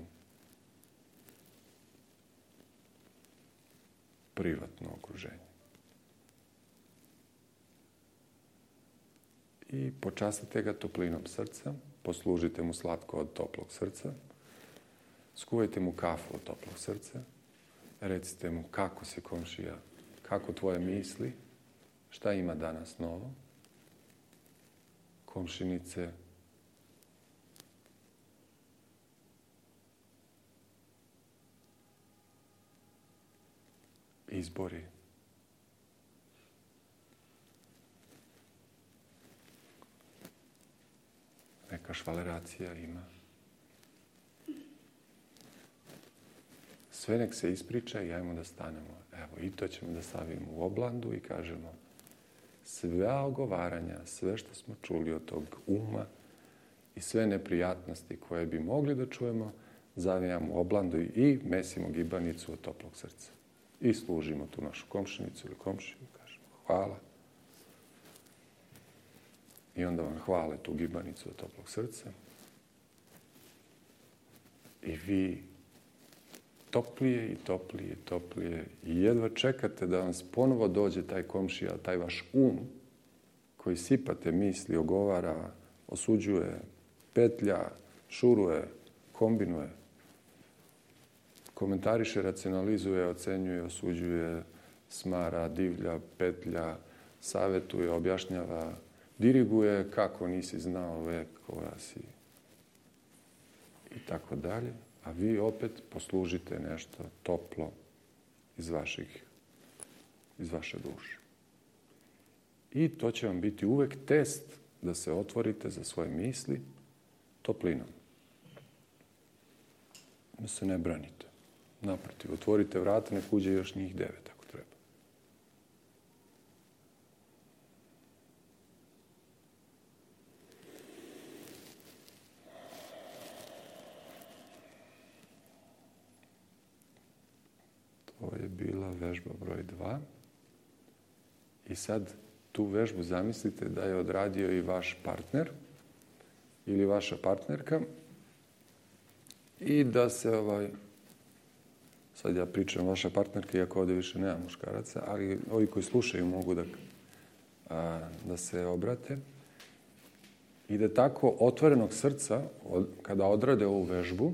privatno okruženje. I počastite ga toplinom srca, poslužite mu slatko od toplog srca, skuvajte mu kafu od toplog srca, recite mu kako si komšija, kako tvoje misli, šta ima danas novo, komšinice, izbori, neka švaleracija ima. Sve nek se ispriča i ajmo da stanemo. Evo, i to ćemo da stavimo u oblandu i kažemo sve ogovaranja, sve što smo čuli od tog uma i sve neprijatnosti koje bi mogli da čujemo, zavijamo u oblandu i mesimo gibanicu od toplog srca. I služimo tu našu komšinicu ili komšiju, kažemo hvala. I onda vam hvale tu gibanicu od toplog srca. I vi toplije i toplije i toplije i jedva čekate da vam ponovo dođe taj komšija, taj vaš um koji sipate misli, ogovara, osuđuje, petlja, šuruje, kombinuje, komentariše, racionalizuje, ocenjuje, osuđuje, smara, divlja, petlja, savetuje, objašnjava, diriguje kako nisi znao vek koja si i tako dalje, a vi opet poslužite nešto toplo iz vaših, iz vaše duše. I to će vam biti uvek test da se otvorite za svoje misli toplinom. Da se ne branite. Naprotiv, otvorite vrata, nek uđe još njih devet ako treba. To je bila vežba broj dva. I sad tu vežbu zamislite da je odradio i vaš partner ili vaša partnerka i da se ovaj... Sad ja pričam vaša partnerka, iako ovdje više nema muškaraca, ali ovi koji slušaju mogu da, a, da se obrate. I da tako otvorenog srca, od, kada odrade ovu vežbu,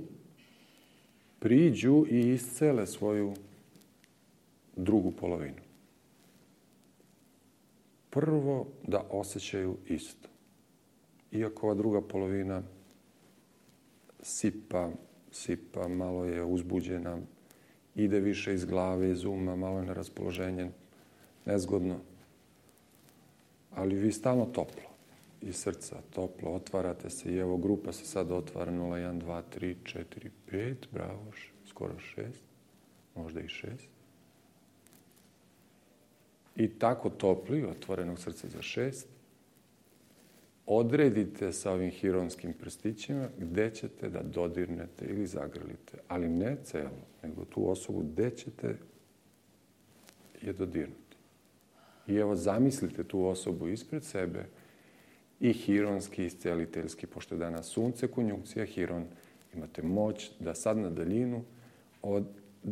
priđu i iscele svoju drugu polovinu. Prvo da osjećaju isto. Iako ova druga polovina sipa, sipa, malo je uzbuđena, ide više iz glave, iz uma, malo je neraspoloženje, nezgodno. Ali vi stalno toplo, iz srca toplo, otvarate se i evo grupa se sad otvara nula, jedan, dva, tri, četiri, pet, bravo, skoro šest, možda i šest. I tako topli, otvorenog srca za šest, odredite sa ovim hironskim prstićima gde ćete da dodirnete ili zagrlite, ali ne celo, nego tu osobu gde ćete je dodirnuti. I evo zamislite tu osobu ispred sebe i hironski, isceliteljski, pošto je danas sunce, konjunkcija, hiron, imate moć da sad na daljinu od,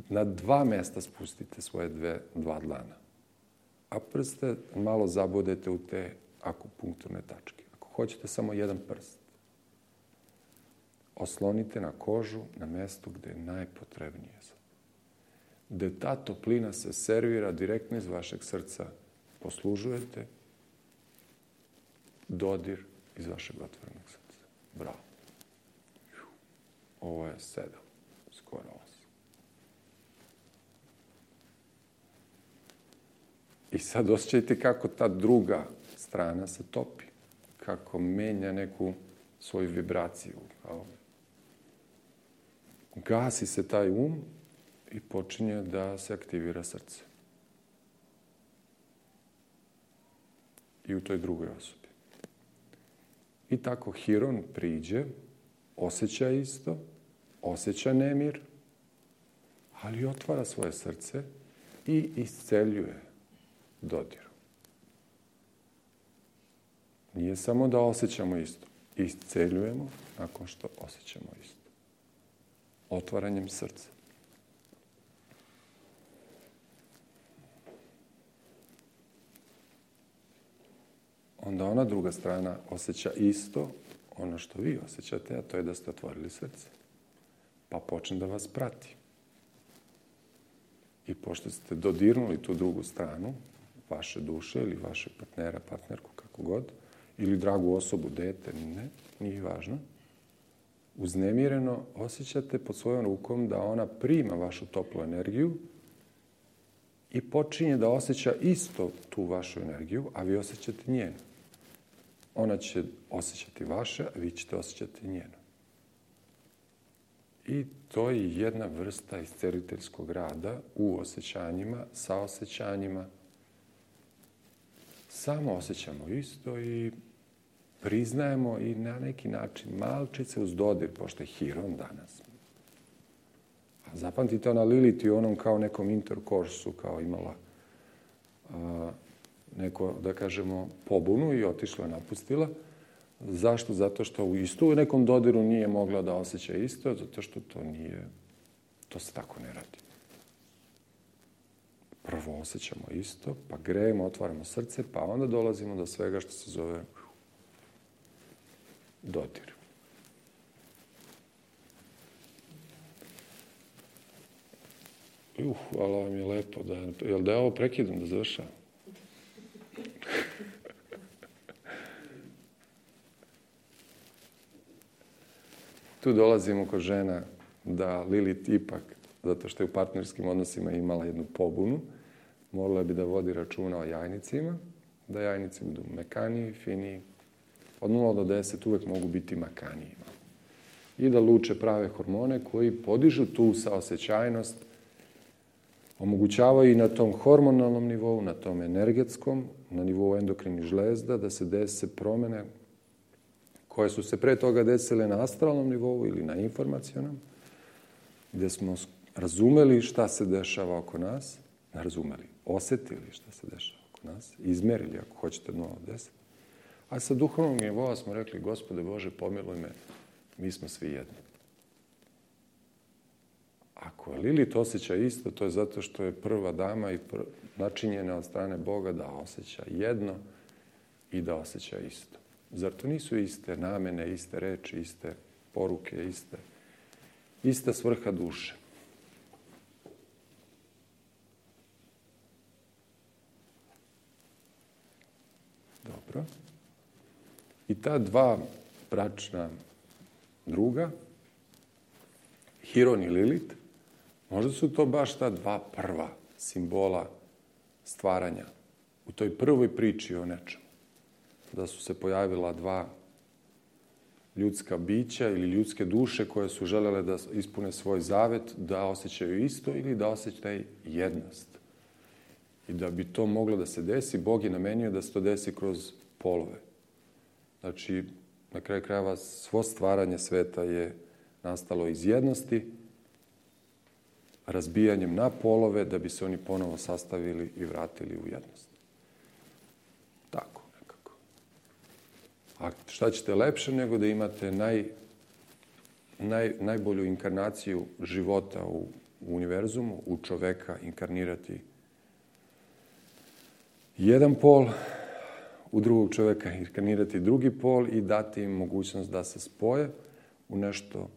na dva mesta spustite svoje dve, dva dlana. A prste malo zabodete u te akupunkturne tačke. Ako hoćete samo jedan prst, oslonite na kožu, na mestu gde je najpotrebnije. Gde ta toplina se servira direktno iz vašeg srca, poslužujete dodir iz vašeg otvorenog srca. Bravo. Ovo je sedam, skoro osam. I sad osjećajte kako ta druga strana se topi, kako menja neku svoju vibraciju. Gasi se taj um i počinje da se aktivira srce. I u toj drugoj osobi. I tako hiron priđe, osjeća isto, osjeća nemir, ali otvara svoje srce i isceljuje dodiru. Nije samo da osjećamo isto. Isceljujemo nakon što osjećamo isto. Otvaranjem srca. Onda ona druga strana osjeća isto ono što vi osjećate, a to je da ste otvorili srce. Pa počne da vas prati. I pošto ste dodirnuli tu drugu stranu, vaše duše ili vaše partnera, partnerku, kako god, ili dragu osobu, dete, ne, nije važno, uznemireno osjećate pod svojom rukom da ona prima vašu toplu energiju i počinje da osjeća isto tu vašu energiju, a vi osjećate njenu. Ona će osjećati vaše, a vi ćete osjećati njenu. I to je jedna vrsta isceliteljskog rada u osjećanjima, sa osjećanjima. Samo osjećamo isto i priznajemo i na neki način malčice uz dodir, pošto je hiron danas. A zapamtite ona Lilith i onom kao nekom interkorsu, kao imala a, neko, da kažemo, pobunu i otišla, napustila. Zašto? Zato što u isto u nekom dodiru nije mogla da osjeća isto, zato što to nije, to se tako ne radi. Prvo osjećamo isto, pa grejemo, otvaramo srce, pa onda dolazimo do svega što se zove dodir. Uh, hvala vam je lepo. Da, jel da ja ovo prekidam, da završavam? tu dolazimo kod žena da Lilith ipak, zato što je u partnerskim odnosima imala jednu pobunu, morala bi da vodi računa o jajnicima, da jajnici budu mekaniji, finiji. Od nula do deset uvek mogu biti makaniji. I da luče prave hormone koji podižu tu saosećajnost, omogućavaju i na tom hormonalnom nivou, na tom energetskom, na nivou endokrinih žlezda, da se dese promene koje su se pre toga desile na astralnom nivou ili na informacionom, gde smo razumeli šta se dešava oko nas, ne razumeli, osetili šta se dešava oko nas, izmerili, ako hoćete, od nula do deset. A sa duhovnog nivoa smo rekli, Gospode Bože, pomiluj me, mi smo svi jedni. Ako je Lilith osjeća isto, to je zato što je prva dama i pr... načinjena od strane Boga da osjeća jedno i da osjeća isto. Zar to nisu iste namene, iste reči, iste poruke, iste, ista svrha duše? Dobro. I ta dva bračna druga, Hiron i Lilith, možda su to baš ta dva prva simbola stvaranja u toj prvoj priči o nečemu. Da su se pojavila dva ljudska bića ili ljudske duše koje su želele da ispune svoj zavet, da osjećaju isto ili da osjećaju jednost. I da bi to moglo da se desi, Bog je namenio da se to desi kroz polove. Znači, na kraju krajeva, svo stvaranje sveta je nastalo iz jednosti, razbijanjem na polove, da bi se oni ponovo sastavili i vratili u jednost. Tako nekako. A šta ćete lepše nego da imate naj, naj, najbolju inkarnaciju života u, u univerzumu, u čoveka inkarnirati jedan pol, u drugog čoveka inkarnirati drugi pol i dati im mogućnost da se spoje u nešto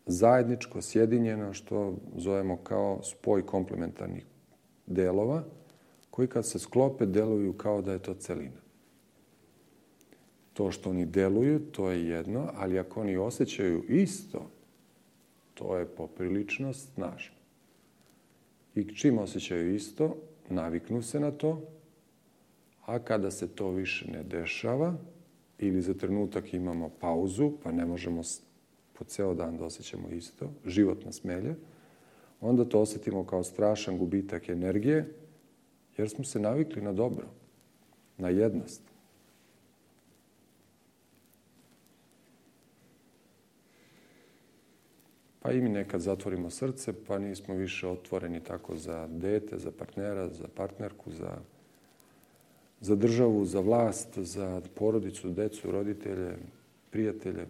zajedničko, sjedinjeno, što zovemo kao spoj komplementarnih delova, koji kad se sklope deluju kao da je to celina. To što oni deluju, to je jedno, ali ako oni osjećaju isto, to je poprilično snažno. I čim osjećaju isto, naviknu se na to, a kada se to više ne dešava, ili za trenutak imamo pauzu, pa ne možemo po ceo dan da osjećamo isto, život nas melje, onda to osjetimo kao strašan gubitak energije, jer smo se navikli na dobro, na jednost. Pa i mi nekad zatvorimo srce, pa nismo više otvoreni tako za dete, za partnera, za partnerku, za, za državu, za vlast, za porodicu, decu, roditelje, prijatelje.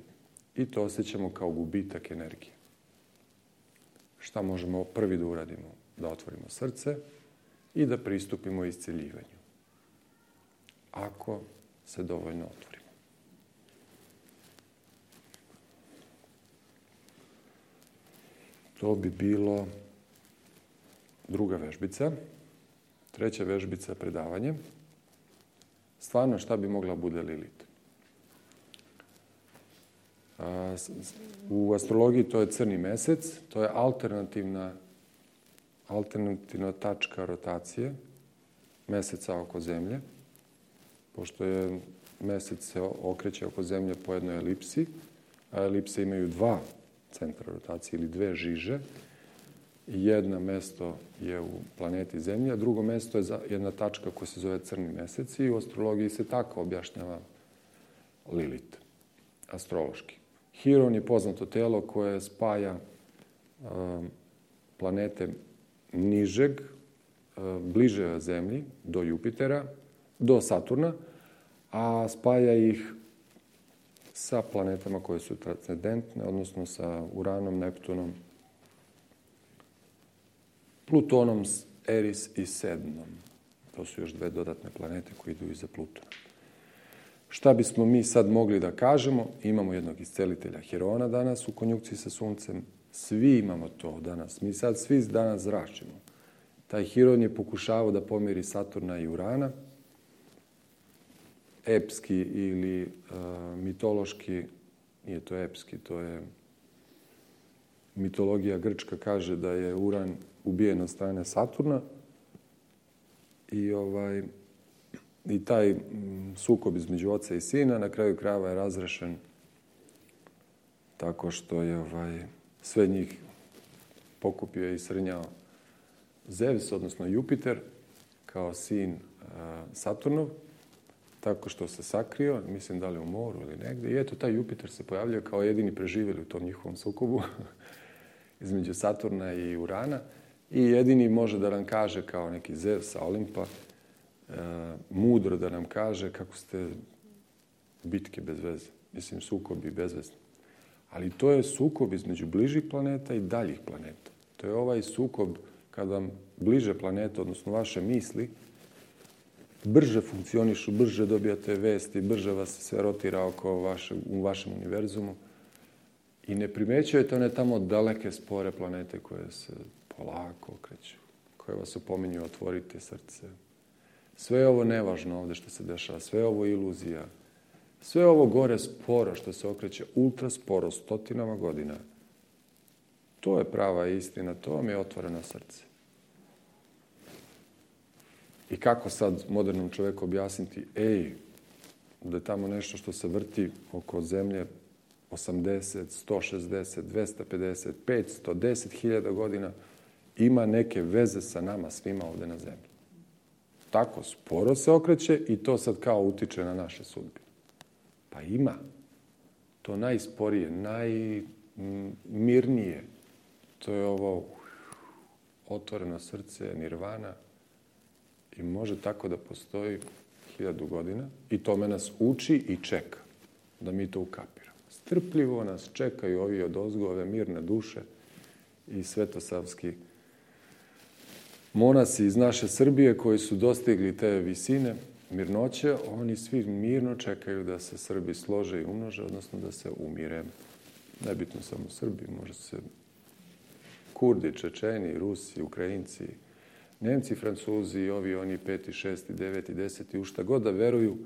I to osjećamo kao gubitak energije. Šta možemo prvi da uradimo? Da otvorimo srce i da pristupimo isceljivanju. Ako se dovoljno otvorimo. To bi bilo druga vežbica. Treća vežbica, predavanje. Stvarno, šta bi mogla bude Lilith? U astrologiji to je crni mesec, to je alternativna, alternativna tačka rotacije meseca oko Zemlje, pošto je mesec se okreće oko Zemlje po jednoj elipsi, a elipse imaju dva centra rotacije ili dve žiže. Jedno mesto je u planeti Zemlja, drugo mesto je jedna tačka koja se zove crni mesec i u astrologiji se tako objašnjava Lilith, astrološki. Hiron je poznato telo koje spaja um, planete nižeg, um, bliže Zemlji, do Jupitera, do Saturna, a spaja ih sa planetama koje su transcendentne, odnosno sa Uranom, Neptunom, Plutonom, Eris i Sednom. To su još dve dodatne planete koje idu iza Plutona. Šta bismo mi sad mogli da kažemo? Imamo jednog iscelitelja Hirona danas u konjunkciji sa Suncem. Svi imamo to danas. Mi sad svi danas zračimo. Taj Hiron je pokušavao da pomiri Saturna i Urana. Epski ili uh, mitološki, nije to epski, to je mitologija grčka kaže da je Uran ubijen od strane Saturna i, ovaj, i taj sukob između oca i sina na kraju krajeva je razrešen tako što je ovaj, sve njih pokupio i srnjao Zeus, odnosno Jupiter, kao sin uh, Saturnov, tako što se sakrio, mislim da li u moru ili negdje. I eto, taj Jupiter se pojavljao kao jedini preživjeli u tom njihovom sukobu između Saturna i Urana. I jedini može da nam kaže, kao neki Zeus sa Olimpa, uh, mudro da nam kaže kako ste bitke bez veze. Mislim, sukobi bezvezni. Ali to je sukob između bližih planeta i daljih planeta. To je ovaj sukob kad vam bliže planete, odnosno vaše misli, brže funkcionišu, brže dobijate vesti, brže vas sve rotira oko vaše, u vašem univerzumu i ne primećujete one tamo daleke spore planete koje se polako okreću, koje vas upominju otvorite srce. Sve je ovo nevažno ovdje što se dešava, sve je ovo iluzija. Sve ovo gore sporo što se okreće, ultra sporo, stotinama godina. To je prava istina, to vam je otvoreno srce. I kako sad modernom čovjeku objasniti, ej, da je tamo nešto što se vrti oko zemlje osamdeset, sto šezdeset, dvesta pedeset, petsto, deset hiljada godina, ima neke veze sa nama svima ovdje na zemlji. Tako sporo se okreće i to sad kao utiče na naše sudbine. Pa ima. To najsporije, najmirnije. To je ovo otvoreno srce, nirvana. I može tako da postoji hiljadu godina. I tome nas uči i čeka da mi to ukapiramo. Strpljivo nas čekaju ovi odozgo, ove mirne duše i svetosavski monasi iz naše Srbije koji su dostigli te visine mirnoće, oni svi mirno čekaju da se Srbi slože i umnože, odnosno da se umire. Nebitno samo Srbi, može se Kurdi, Čečeni, Rusi, Ukrajinci, Nemci, Francuzi, ovi, oni, peti, šesti, deveti, deseti, u šta god da veruju,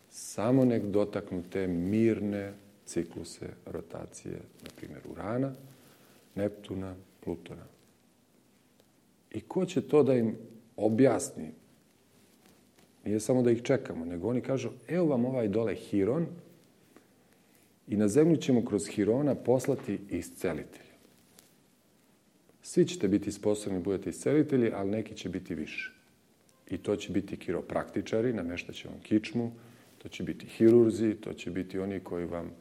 samo nek dotaknu te mirne cikluse rotacije, na primjer Urana, Neptuna, Plutona. I ko će to da im objasni? Nije samo da ih čekamo, nego oni kažu, evo vam ovaj dole Hiron i na zemlju ćemo kroz Hirona poslati iscelitelja. Svi ćete biti sposobni, budete iscelitelji, ali neki će biti više. I to će biti kiropraktičari, namještaće vam kičmu, to će biti hirurzi, to će biti oni koji vam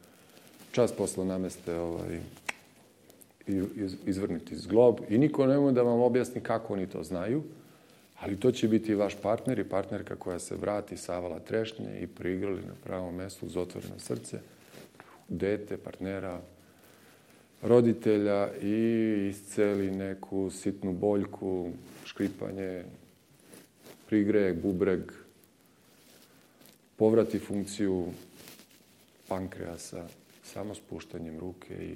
čas posla nameste ovaj, izvrnuti zglob i niko ne može da vam objasni kako oni to znaju, ali to će biti vaš partner i partnerka koja se vrati savala trešnje i priigrali na pravom mjestu uz otvoreno srce, dete, partnera, roditelja i isceli neku sitnu boljku, škripanje, prigreje bubreg, povrati funkciju pankreasa samo spuštanjem ruke i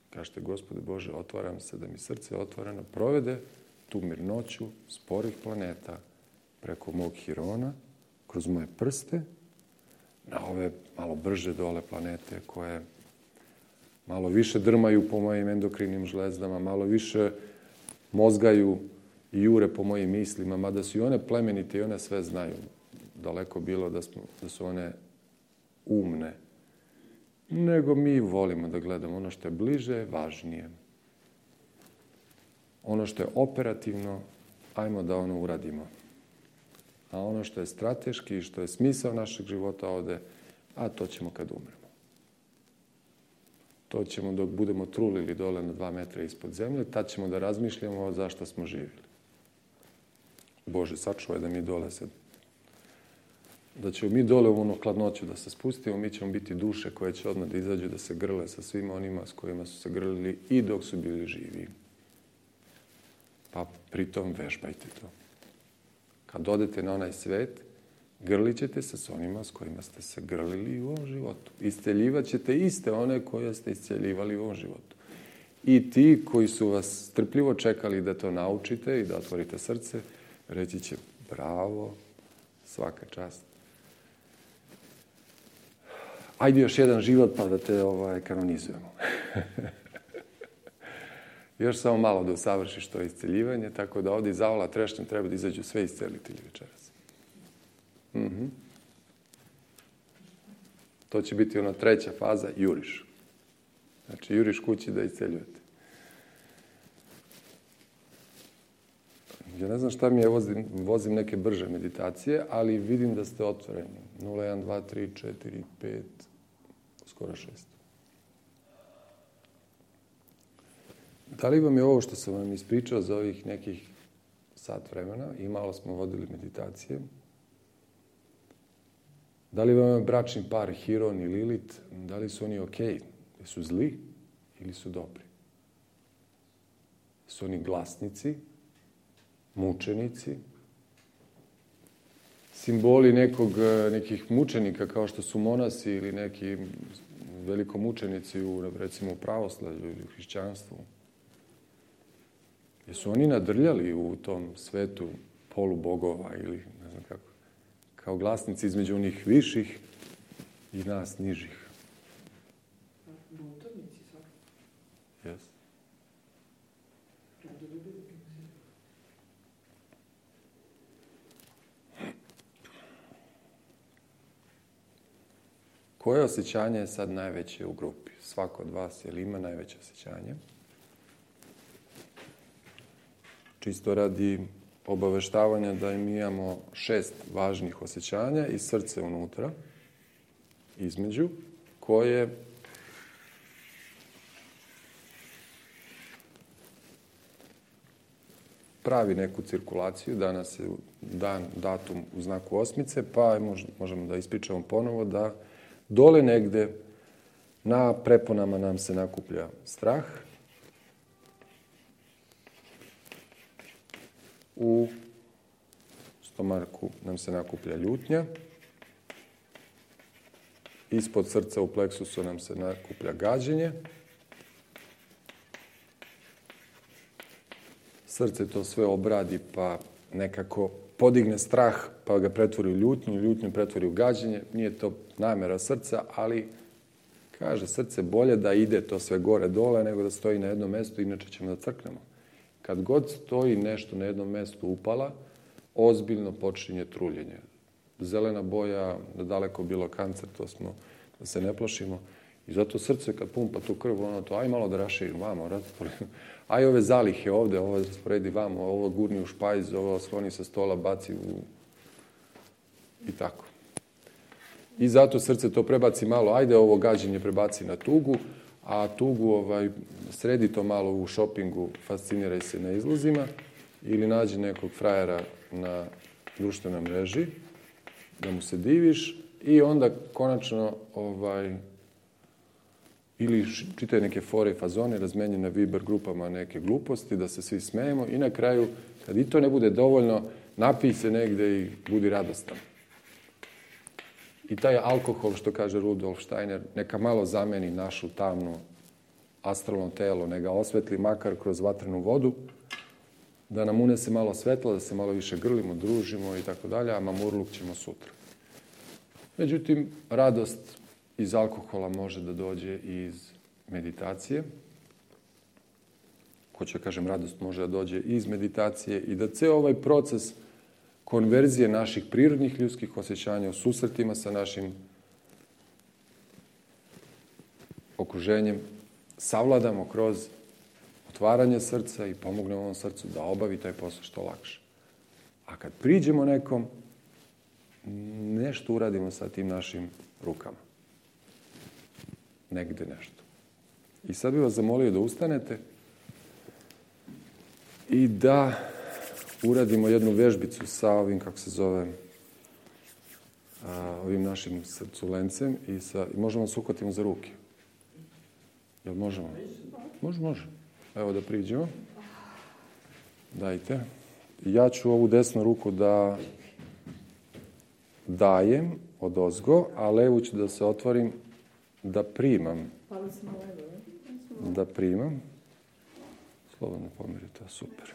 kažete, Gospode Bože, otvaram se da mi srce otvoreno provede tu mirnoću sporih planeta preko mog Hirona, kroz moje prste, na ove malo brže dole planete koje malo više drmaju po mojim endokrinim žlezdama, malo više mozgaju i jure po mojim mislima, mada su i one plemenite i one sve znaju. Daleko bilo da, smo, da su one umne. Nego mi volimo da gledamo ono što je bliže, važnije. Ono što je operativno, ajmo da ono uradimo. A ono što je strateški i što je smisao našeg života ovde, a to ćemo kad umremo. To ćemo dok budemo trulili dole na dva metra ispod zemlje, tad ćemo da razmišljamo zašto smo živjeli. Bože, sačuvaj da mi dole sad, da ćemo mi dole u ono hladnoću da se spustimo, mi ćemo biti duše koje će odmah da izađu da se grle sa svima onima s kojima su se grlili i dok su bili živi. Pa pritom vežbajte to. Kad odete na onaj svet, grlit ćete se s onima s kojima ste se grlili u ovom životu. Isceljivat ćete iste one koje ste isceljivali u ovom životu. I ti koji su vas strpljivo čekali da to naučite i da otvorite srce, reći će bravo, svaka čast. Ajde još jedan život pa da te ovaj, kanonizujemo. Još samo malo da usavršiš to isceljivanje, tako da ovdje iz avala trešnjem treba da izađu sve iscelitelji večeras. Mhm. To će biti ona treća faza, juriš. Znači, juriš kući da isceljujete. Ja ne znam šta mi je, vozim, vozim neke brže meditacije, ali vidim da ste otvoreni. nula, jedan, dva, tri, četiri, pet, skoro šest. Da li vam je ovo što sam vam ispričao za ovih nekih sat vremena i malo smo vodili meditacije? Da li vam je bračni par Hiron i Lilit, da li su oni okej? Su zli ili su dobri? Su oni glasnici, mučenici, simboli nekog, nekih mučenika kao što su monasi ili neki velikomučenici u, recimo, u pravoslavlju ili u hrišćanstvu? Jesu oni nadrljali u tom svetu polubogova ili ne znam kako? Kao glasnici između onih viših i nas nižih. Buntovnici sad. Yes. Koje osjećanje je sad najveće u grupi? Svako od vas, je li ima najveće osjećanje? Čisto radi obaveštavanja da im imamo šest važnih osjećanja i srce unutra, između, koje pravi neku cirkulaciju. Danas je dan, datum u znaku osmice, pa možemo da ispričamo ponovo da dole negde na preponama nam se nakuplja strah, u stomaku nam se nakuplja ljutnja, ispod srca u pleksusu nam se nakuplja gađenje, srce to sve obradi pa nekako podigne strah pa ga pretvori u ljutnju, ljutnju pretvori u gađenje. Nije to namjera srca, ali kaže srce bolje da ide to sve gore dole nego da stoji na jednom mjestu, inače ćemo da crknemo. Kad god stoji nešto na jednom mjestu upala, ozbiljno počinje truljenje. Zelena boja, da daleko bilo kancer, to smo, da se ne plašimo. I zato srce kad pumpa tu krv, ono to, aj malo da raširi vamo, aj ove zalihe ovde, ovo rasporedi vamo, ovo gurni u špajz, ovo skloni sa stola, baci u... i tako. I zato srce to prebaci malo, ajde ovo gađenje prebaci na tugu, a tugu ovaj, sredi to malo u šopingu, fasciniraj se na izlozima ili nađi nekog frajera na društvenoj mreži, da mu se diviš i onda konačno ovaj, ili čitaj neke fore i fazone, razmenji na Viber grupama neke gluposti, da se svi smejemo i na kraju, kad i to ne bude dovoljno, napij se negde i budi radostan. I taj alkohol, što kaže Rudolf Steiner, neka malo zameni našu tamnu astralno telo, neka osvetli makar kroz vatrenu vodu, da nam unese malo svetla, da se malo više grlimo, družimo i tako dalje, a mamurluk ćemo sutra. Međutim, radost iz alkohola može da dođe i iz meditacije. Hoću da kažem, radost može da dođe i iz meditacije i da ceo ovaj proces konverzije naših prirodnih ljudskih osjećanja u susretima sa našim okruženjem savladamo kroz otvaranje srca i pomognemo ovom srcu da obavi taj posao što lakše. A kad priđemo nekom, nešto uradimo sa tim našim rukama. Negde nešto. I sad bih vas zamolio da ustanete i da uradimo jednu vežbicu sa ovim, kako se zove, a, ovim našim srculencem i, sa, i možemo se uhvatimo za ruke. Jel možemo? Može, može. Evo da priđemo. Dajte. Ja ću ovu desnu ruku da dajem od ozgo, a levu ću da se otvorim da primam. Da primam. Slobodno pomerite, super.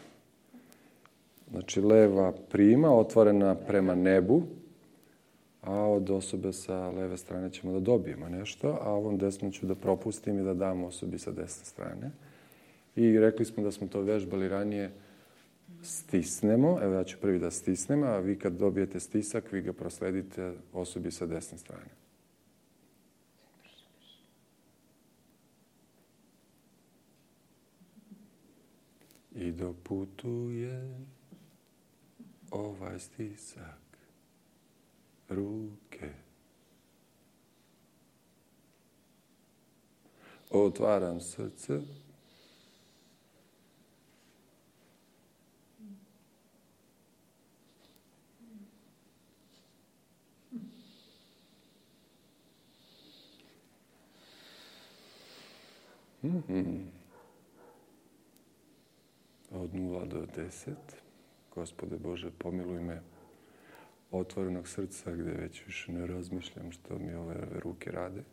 Znači, leva prima, otvorena prema nebu, a od osobe sa leve strane ćemo da dobijemo nešto, a ovom desnom ću da propustim i da dam osobi sa desne strane. I rekli smo da smo to vežbali ranije. Stisnemo, evo ja ću prvi da stisnem, a vi kad dobijete stisak, vi ga prosledite osobi sa desne strane. I dok putuje ovaj stisak ruke, otvaram srce, mm-hmm. Od nula do deset. Gospode Bože, pomiluj me otvorenog srca gdje već više ne razmišljam što mi ove ruke rade.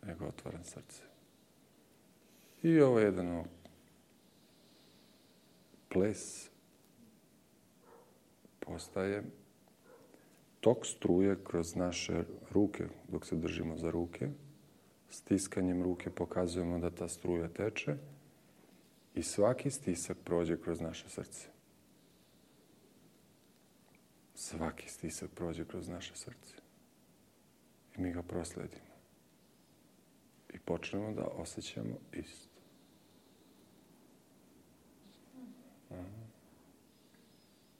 Nego otvaram srce. I ovo je jedan ples postaje tok struje kroz naše ruke dok se držimo za ruke. Stiskanjem ruke pokazujemo da ta struja teče i svaki stisak prođe kroz naše srce. Svaki stisak prođe kroz naše srce. I mi ga prosledimo. I počnemo da osjećamo isto. Aha.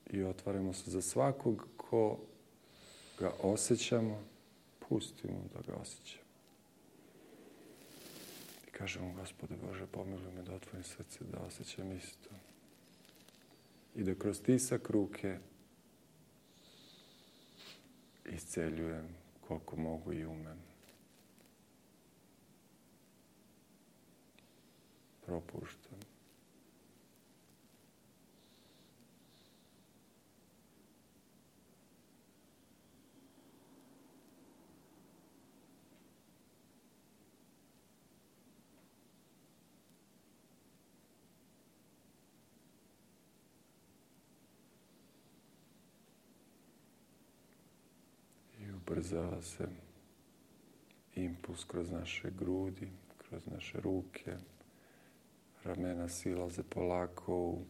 I otvaramo se za svakog ko ga osjećamo, pustimo da ga osjećamo. I kažemo, Gospode Bože, pomiluj me da otvorim srce, da osjećam isto. I da kroz stisak ruke isceljujem koliko mogu i umem. Propuštam. Ubrzava se impuls kroz naše grudi, kroz naše ruke. Ramena silaze polako u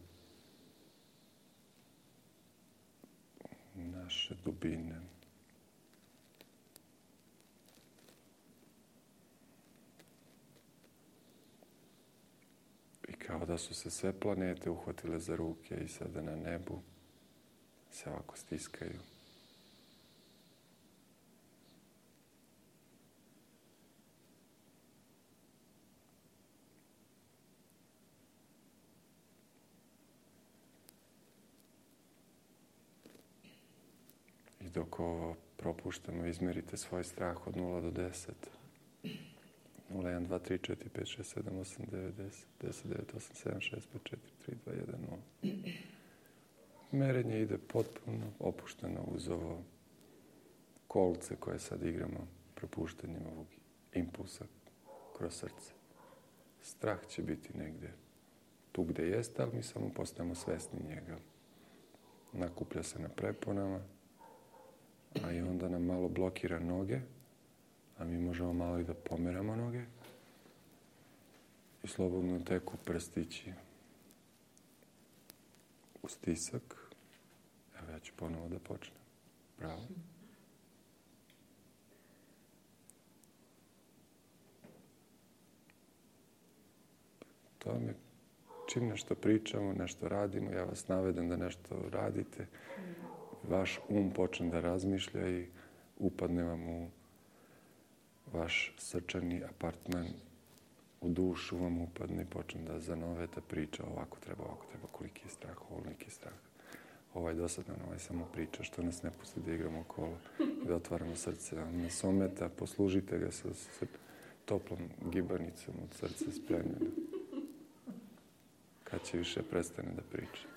naše dubine. I kao da su se sve planete uhvatile za ruke i sada na nebu se ovako stiskaju. Dok ovo propuštamo, izmerite svoj strah od nula do deset. nula, jedan, dva, tri, četiri, pet, šest, sedam, osam, devet, deset, deset, devet, osam, sedam, šest, pet, četiri, tri, dva, jedan, nula. Merenje ide potpuno opušteno uz ovo kolce koje sad igramo propuštanjem ovog impulsa kroz srce. Strah će biti negdje tu gdje jeste, ali mi samo postajemo svesni njega. Nakuplja se na preponama, a i onda nam malo blokira noge, a mi možemo malo i da pomeramo noge i slobodno teku prstići u stisak. Evo ja ću ponovo da počnem. Bravo. To mi čim nešto pričamo, nešto radimo, ja vas navedem da nešto radite, vaš um počne da razmišlja i upadne vam u vaš srčani apartman, u dušu vam upadne i počne da zanoveta priča, ovako treba, ovako treba, koliki je strah, ovoliki je strah. Ovaj dosadan, ovaj samo priča, što nas ne pusti da igramo okolo, da otvaramo srce. On nas ometa, poslužite ga sa toplom gibanicom od srca spremljena. Kad će više prestane da priča.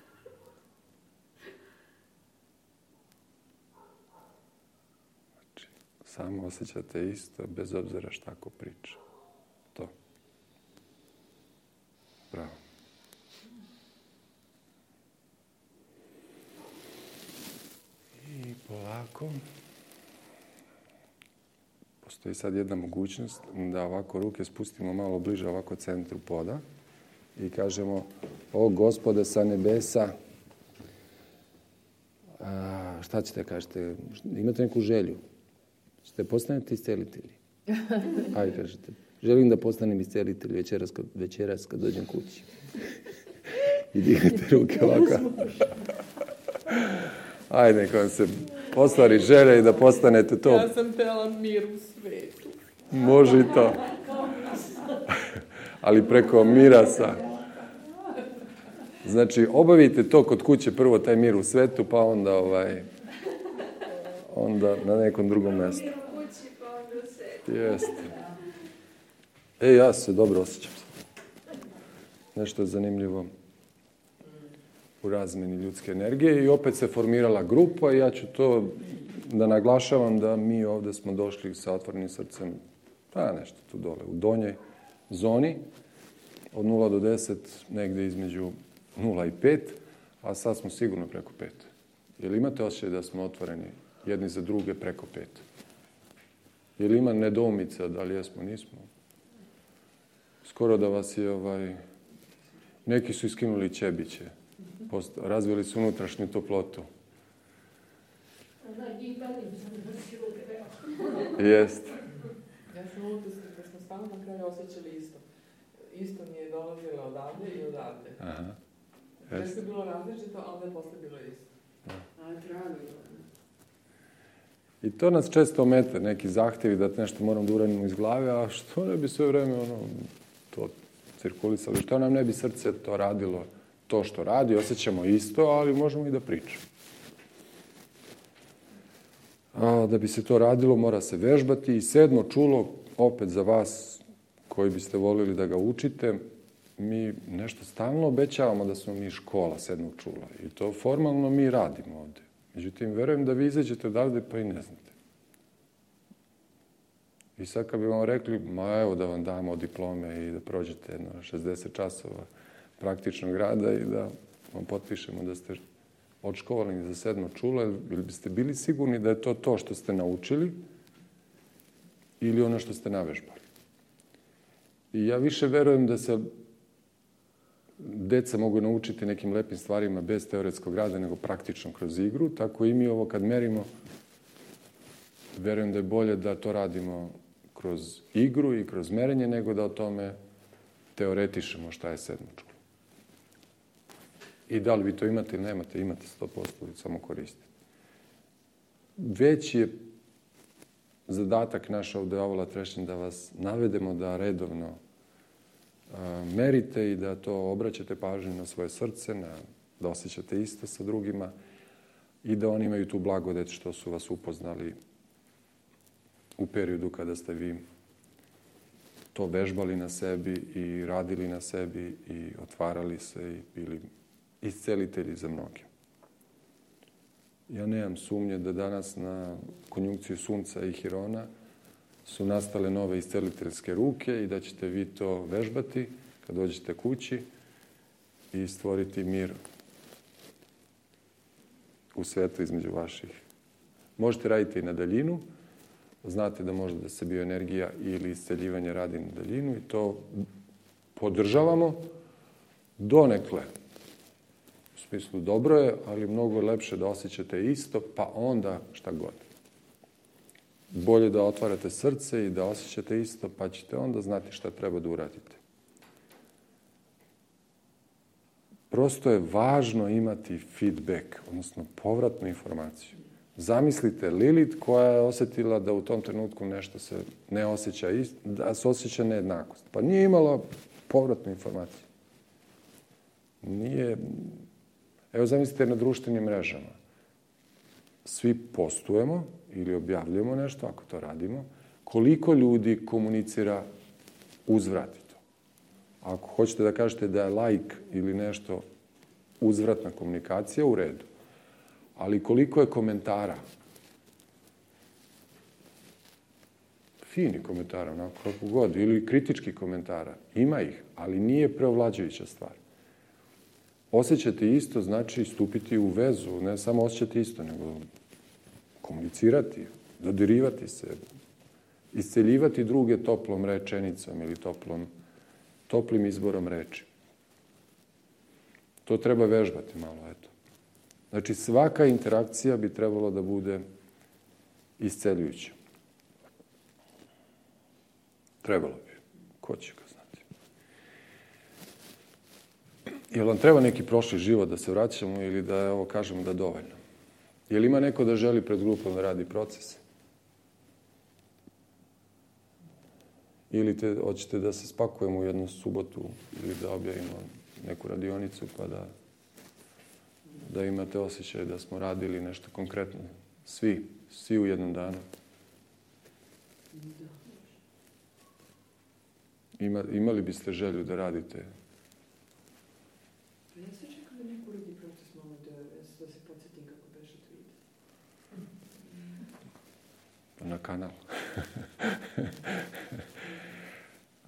Znači, samo osjećate isto, bez obzira šta ko priča. To. Bravo. I polako, postoji sad jedna mogućnost da ovako ruke spustimo malo bliže ovako centru poda i kažemo: o Gospode sa nebesa, a, šta ćete kažete? Imate neku želju? Ćete postanete iscelitelji? Ajde, kažete. Želim da postanem iscelitelj večeras kad, večeras kad dođem kući. I dignete ruke ovako. Ajde, neka vam se ostvari želja i da postanete to. Ja sam htjela mir u svetu. Može i to. Ali preko mirasa. Znači, obavite to kod kuće, prvo taj mir u svetu, pa onda ovaj, onda na nekom drugom mjestu. Mir u kući, pa onda u svetu. Jeste. E, ja se dobro osjećam. Nešto je zanimljivo u razmeni ljudske energije i opet se formirala grupa i ja ću to da naglašavam da mi ovdje smo došli sa otvorenim srcem, pa nešto tu dole, u donjoj zoni, od nula do deset, negdje između nula i pet, a sad smo sigurno preko pet. Jel imate osjećaj da smo otvoreni jedni za druge preko pet? Jel ima nedoumica da li jesmo, nismo? Skoro da vas je, ovaj, neki su iskinuli ćebiće, razvili su unutrašnju toplotu. Jest. Ja sam utisak da smo stvarno na kraju osjećali isto. Isto mi je dolazilo odavde i odavde. Aha. Nešto je bilo različito, a onda je posle bilo isto. A, drago. I to nas često omete, neki zahtjevi da nešto moram da uradimo iz glave, a što ne bi sve vreme ono, to cirkulisalo, što nam ne bi srce to radilo, to što radi, osjećamo isto, ali možemo i da pričamo. A da bi se to radilo, mora se vežbati i sedmo čulo, opet za vas koji biste volili da ga učite, mi nešto stalno obećavamo da smo mi škola sedmog čula i to formalno mi radimo ovdje. Međutim, verujem da vi izađete odavde pa i ne znate. I sad kad bi vam rekli, ma evo da vam damo diplome i da prođete jedno šezdeset časova praktičnog rada i da vam potpišemo da ste odškolovani za sedmo čulo, ili biste bili sigurni da je to to što ste naučili ili ono što ste navežbali. I ja više verujem da se deca mogu naučiti nekim lepim stvarima bez teoretskog rada, nego praktično kroz igru. Tako i mi ovo kad merimo, verujem da je bolje da to radimo kroz igru i kroz merenje, nego da o tome teoretišemo šta je sedmo čulo. I da li vi to imate ili nemate, imate sto posto, samo koristite. Već je zadatak naš ovdje Avola Trešnje da vas navedemo da redovno merite i da to obraćate pažnju na svoje srce, na, da osjećate isto sa drugima i da oni imaju tu blagodet što su vas upoznali u periodu kada ste vi to vežbali na sebi i radili na sebi i otvarali se i bili iscelitelji za mnoge. Ja nemam sumnje da danas na konjunkciju Sunca i Hirona su nastale nove isceliteljske ruke i da ćete vi to vežbati kad dođete kući i stvoriti mir u svetu između vaših. Možete raditi i na daljinu. Znate da može da se bioenergija ili isceljivanje radi na daljinu i to podržavamo donekle. U smislu dobro je, ali mnogo je lepše da osjećate isto, pa onda šta god. Bolje da otvarate srce i da osjećate isto, pa ćete onda znati šta treba da uradite. Prosto je važno imati feedback, odnosno povratnu informaciju. Zamislite Lilith koja je osjetila da u tom trenutku nešto se ne osjeća isto, da se osjeća nejednakost. Pa nije imala povratnu informaciju. Nije... Evo zamislite na društvenim mrežama. Svi postujemo ili objavljujemo nešto, ako to radimo, koliko ljudi komunicira uzvrati to. Ako hoćete da kažete da je like ili nešto uzvratna komunikacija, u redu. Ali koliko je komentara? Fini komentara, onako kako god, ili kritički komentara. Ima ih, ali nije preovlađujuća stvar. Osjećati isto znači stupiti u vezu, ne samo osjećati isto, nego komunicirati, dodirivati se, isceljivati druge toplom rečenicom ili toplom, toplim izborom reči. To treba vežbati malo, eto. Znači, svaka interakcija bi trebalo da bude isceljujuća. Trebalo bi. Ko će ga znati? Jel vam treba neki prošli život da se vraćamo ili da, evo, kažemo da je dovoljno? Jel ima neko da želi pred grupom da radi proces? Ili te, hoćete da se spakujemo u jednu subotu ili da objavimo neku radionicu pa da, da imate osjećaj da smo radili nešto konkretno. Svi, svi u jednom danu. Ima, imali biste želju da radite? Ja se čekam da neko uradi proces malo da, da se podsjetim kako beše tweet. Na kanal.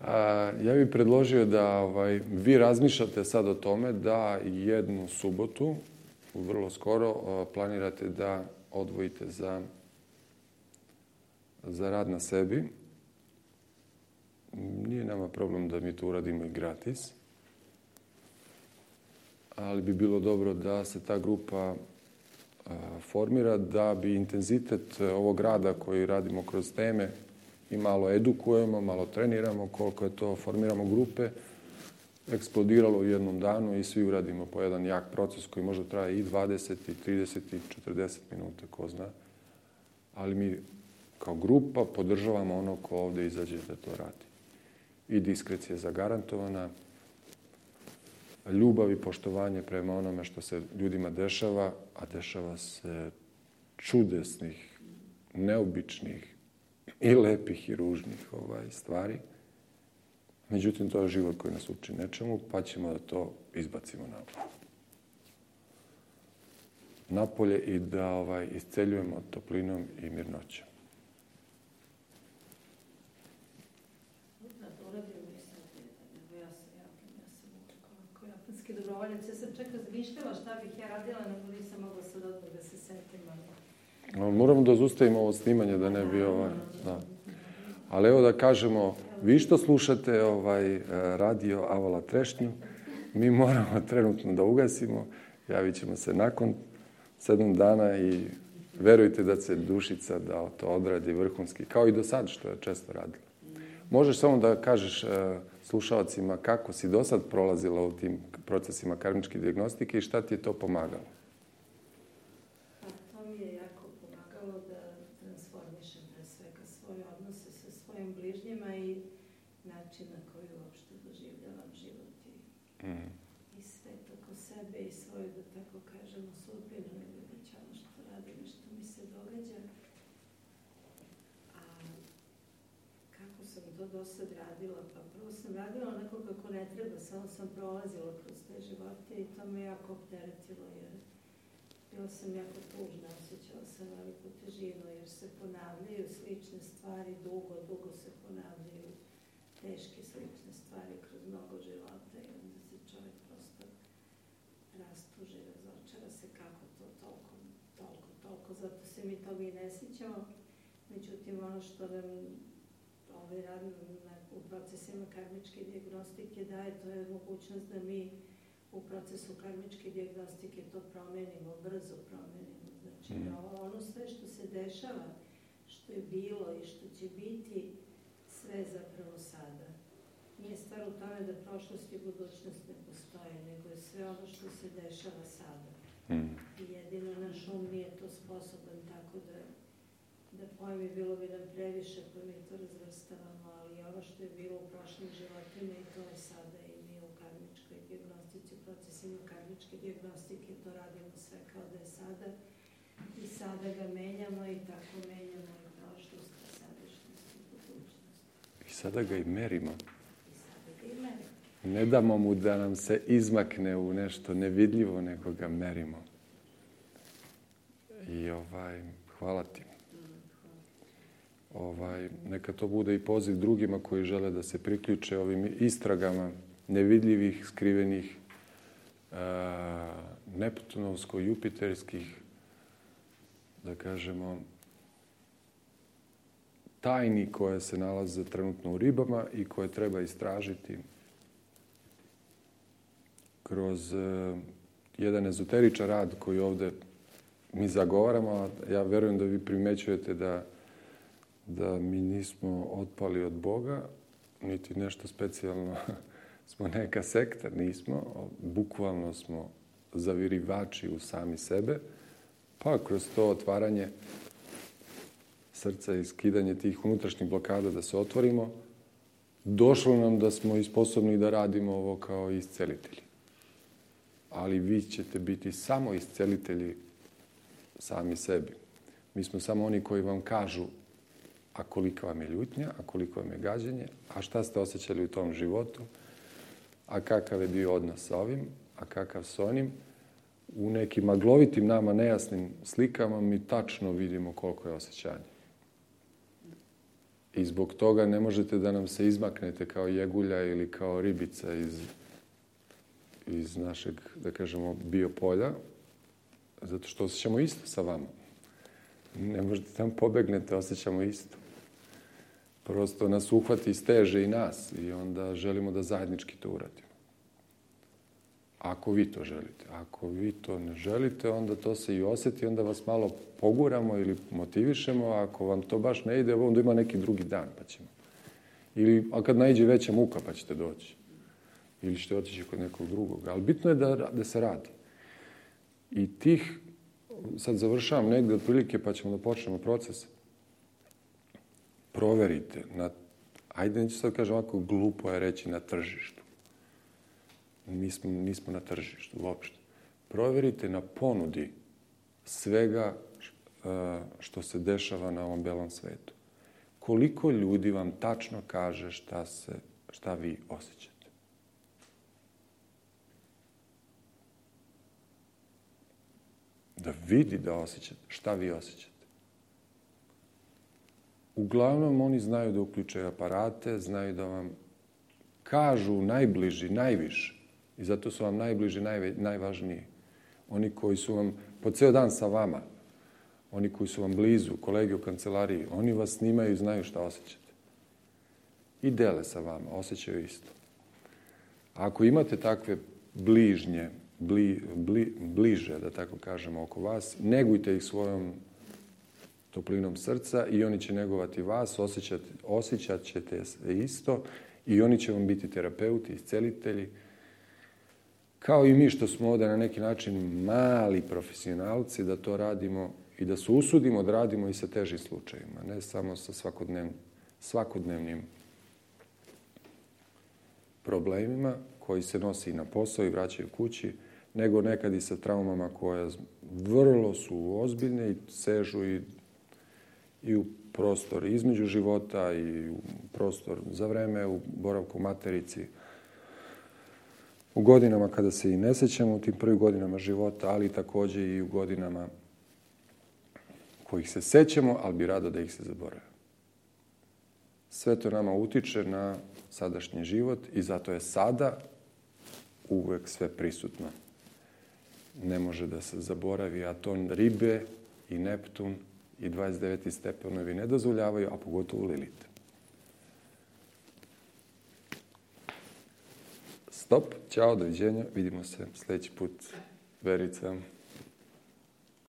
A, ja bih predložio da ovaj, vi razmišljate sad o tome da jednu subotu, vrlo skoro, planirate da odvojite za, za rad na sebi. Nije nama problem da mi to uradimo i gratis, ali bi bilo dobro da se ta grupa a, formira, da bi intenzitet ovog rada koji radimo kroz teme i malo edukujemo, malo treniramo, koliko je to, formiramo grupe, eksplodiralo u jednom danu i svi uradimo po jedan jak proces koji možda traje i dvadeset, i trideset, i četrdeset minuta, ko zna. Ali mi kao grupa podržavamo ono ko ovde izađe da to radi. I diskrecija je zagarantovana, ljubav i poštovanje prema onome što se ljudima dešava, a dešava se čudesnih, neobičnih i lepih i ružnih ovaj, stvari. Međutim, to je život koji nas uči nečemu, pa ćemo da to izbacimo na napolje i da ovaj, isceljujemo toplinom i mirnoćom. Dobrovoljac. Ja sam čak razmišljala šta bih ja radila, nego nisam mogla sad odmah da se setim. No, moramo da zustavimo ovo snimanje, da ne bi ovaj... Da. Ali evo da kažemo, vi što slušate ovaj radio Avala Trešnju, mi moramo trenutno da ugasimo, javit ćemo se nakon sedam dana i verujte da će Dušica da to odradi vrhunski, kao i do sad što je često radila. Možeš samo da kažeš slušalcima kako si do sad prolazila u tim procesima karmičke dijagnostike i šta ti je to pomagalo? Pa to mi je jako pomagalo da transformišem pre svega svoje odnose sa svojim bližnjima i način na koji uopšte doživljavam život i, mm. i svet oko sebe i svoju, da tako kažemo, sudbinu ili već ono što radim i što mi se događa. A kako sam to do sad radila? Pa prvo sam radila onako kako ne treba, samo sam prolazila kroz te živote i to me jako opteretilo jer bila sam jako tužna, osjećala sam veliku težinu jer se ponavljaju slične stvari, dugo, dugo se ponavljaju teške slične stvari kroz mnogo života i onda se čovjek prosto rastuži, razočara se kako to toliko, toliko, toliko, zato se mi toga i ne sjećamo. Međutim, ono što nam ovaj rad u procesima karmičke dijagnostike daje, to je mogućnost da mi u procesu karmičke dijagnostike to promenimo, brzo promenimo. Znači, da ono sve što se dešava, što je bilo i što će biti, sve zapravo sada. Nije stvar u tome da prošlost i budućnost ne postoje, nego je sve ono što se dešava sada. I jedino naš um nije to sposoban tako da da pojmi, bilo bi nam previše, pa mi to razvrstavamo, ali ovo što je bilo u prošlim životima i to je sada i mi u karmičkoj diagnostici, u procesima karmičke diagnostike to radimo sve kao da je sada i sada ga menjamo i tako menjamo i prošlost, i sadašnjost i budućnost. I sada ga i merimo. I sada ga i merimo. Ne damo mu da nam se izmakne u nešto nevidljivo, nego ga merimo. I ovaj, hvala ti. Ovaj, neka to bude i poziv drugima koji žele da se priključe ovim istragama nevidljivih, skrivenih, uh, neptunovsko-jupiterskih, da kažemo, tajni koje se nalaze trenutno u ribama i koje treba istražiti kroz uh, jedan ezoteričan rad koji ovde mi zagovaramo. Ja verujem da vi primećujete da, da mi nismo otpali od Boga, niti nešto specijalno smo neka sekta, nismo. Bukvalno smo zavirivači u sami sebe, pa kroz to otvaranje srca i skidanje tih unutrašnjih blokada da se otvorimo, došlo nam da smo i sposobni da radimo ovo kao iscelitelji. Ali vi ćete biti samo iscelitelji sami sebi. Mi smo samo oni koji vam kažu a kolika vam je ljutnja, a koliko vam je gađenje, a šta ste osjećali u tom životu, a kakav je bio odnos sa ovim, a kakav s onim. U nekim maglovitim, nama nejasnim slikama mi tačno vidimo koliko je osjećanje. I zbog toga ne možete da nam se izmaknete kao jegulja ili kao ribica iz, iz našeg, da kažemo, biopolja, zato što osjećamo isto sa vama. Ne možete tam pobegnete, osjećamo isto. Prosto nas uhvati steže i nas i onda želimo da zajednički to uradimo. Ako vi to želite. Ako vi to ne želite, onda to se i osjeti, onda vas malo poguramo ili motivišemo. Ako vam to baš ne ide, onda ima neki drugi dan, pa ćemo. Ili, a kad naiđe veća muka, pa ćete doći. Ili ćete otići kod nekog drugog. Ali bitno je da, da se radi. I tih, sad završavam negde otprilike, pa ćemo da počnemo proces. Proverite. Na, ajde, neću sad kažem ovako, glupo je reći na tržištu. Mi smo, nismo na tržištu uopšte. Proverite na ponudi svega što se dešava na ovom belom svetu. Koliko ljudi vam tačno kaže šta, se, šta vi osjećate? Da vidi da osjećate, šta vi osjećate. Uglavnom, oni znaju da uključaju aparate, znaju da vam kažu najbliži, najviše. I zato su vam najbliži, najve, najvažniji. Oni koji su vam po ceo dan sa vama, oni koji su vam blizu, kolege u kancelariji, oni vas snimaju i znaju šta osjećate. I dele sa vama, osjećaju isto. A ako imate takve bližnje, bli, bli, bliže, da tako kažemo, oko vas, negujte ih svojom toplinom srca i oni će negovati vas, osjećat, osjećat ćete se isto i oni će vam biti terapeuti, iscelitelji, kao i mi što smo ovde na neki način mali profesionalci, da to radimo i da se usudimo da radimo i sa težim slučajima, ne samo sa svakodnevnim, svakodnevnim problemima koji se nosi i na posao i vraćaju kući, nego nekad i sa traumama koje vrlo su ozbiljne i sežu i, i u prostor između života i u prostor za vreme, u boravku u materici, u godinama kada se i ne sećamo, u tim prvim godinama života, ali takođe i u godinama kojih se sećamo, ali bi rado da ih se zaborave. Sve to nama utiče na sadašnji život i zato je sada uvek sve prisutno. Ne može da se zaboravi, a to ribe i Neptun i dvadeset deveti stepenovi ne dozvoljavaju, a pogotovo Lilit. Stop, ćao, doviđenja, vidimo se sljedeći put. Verica.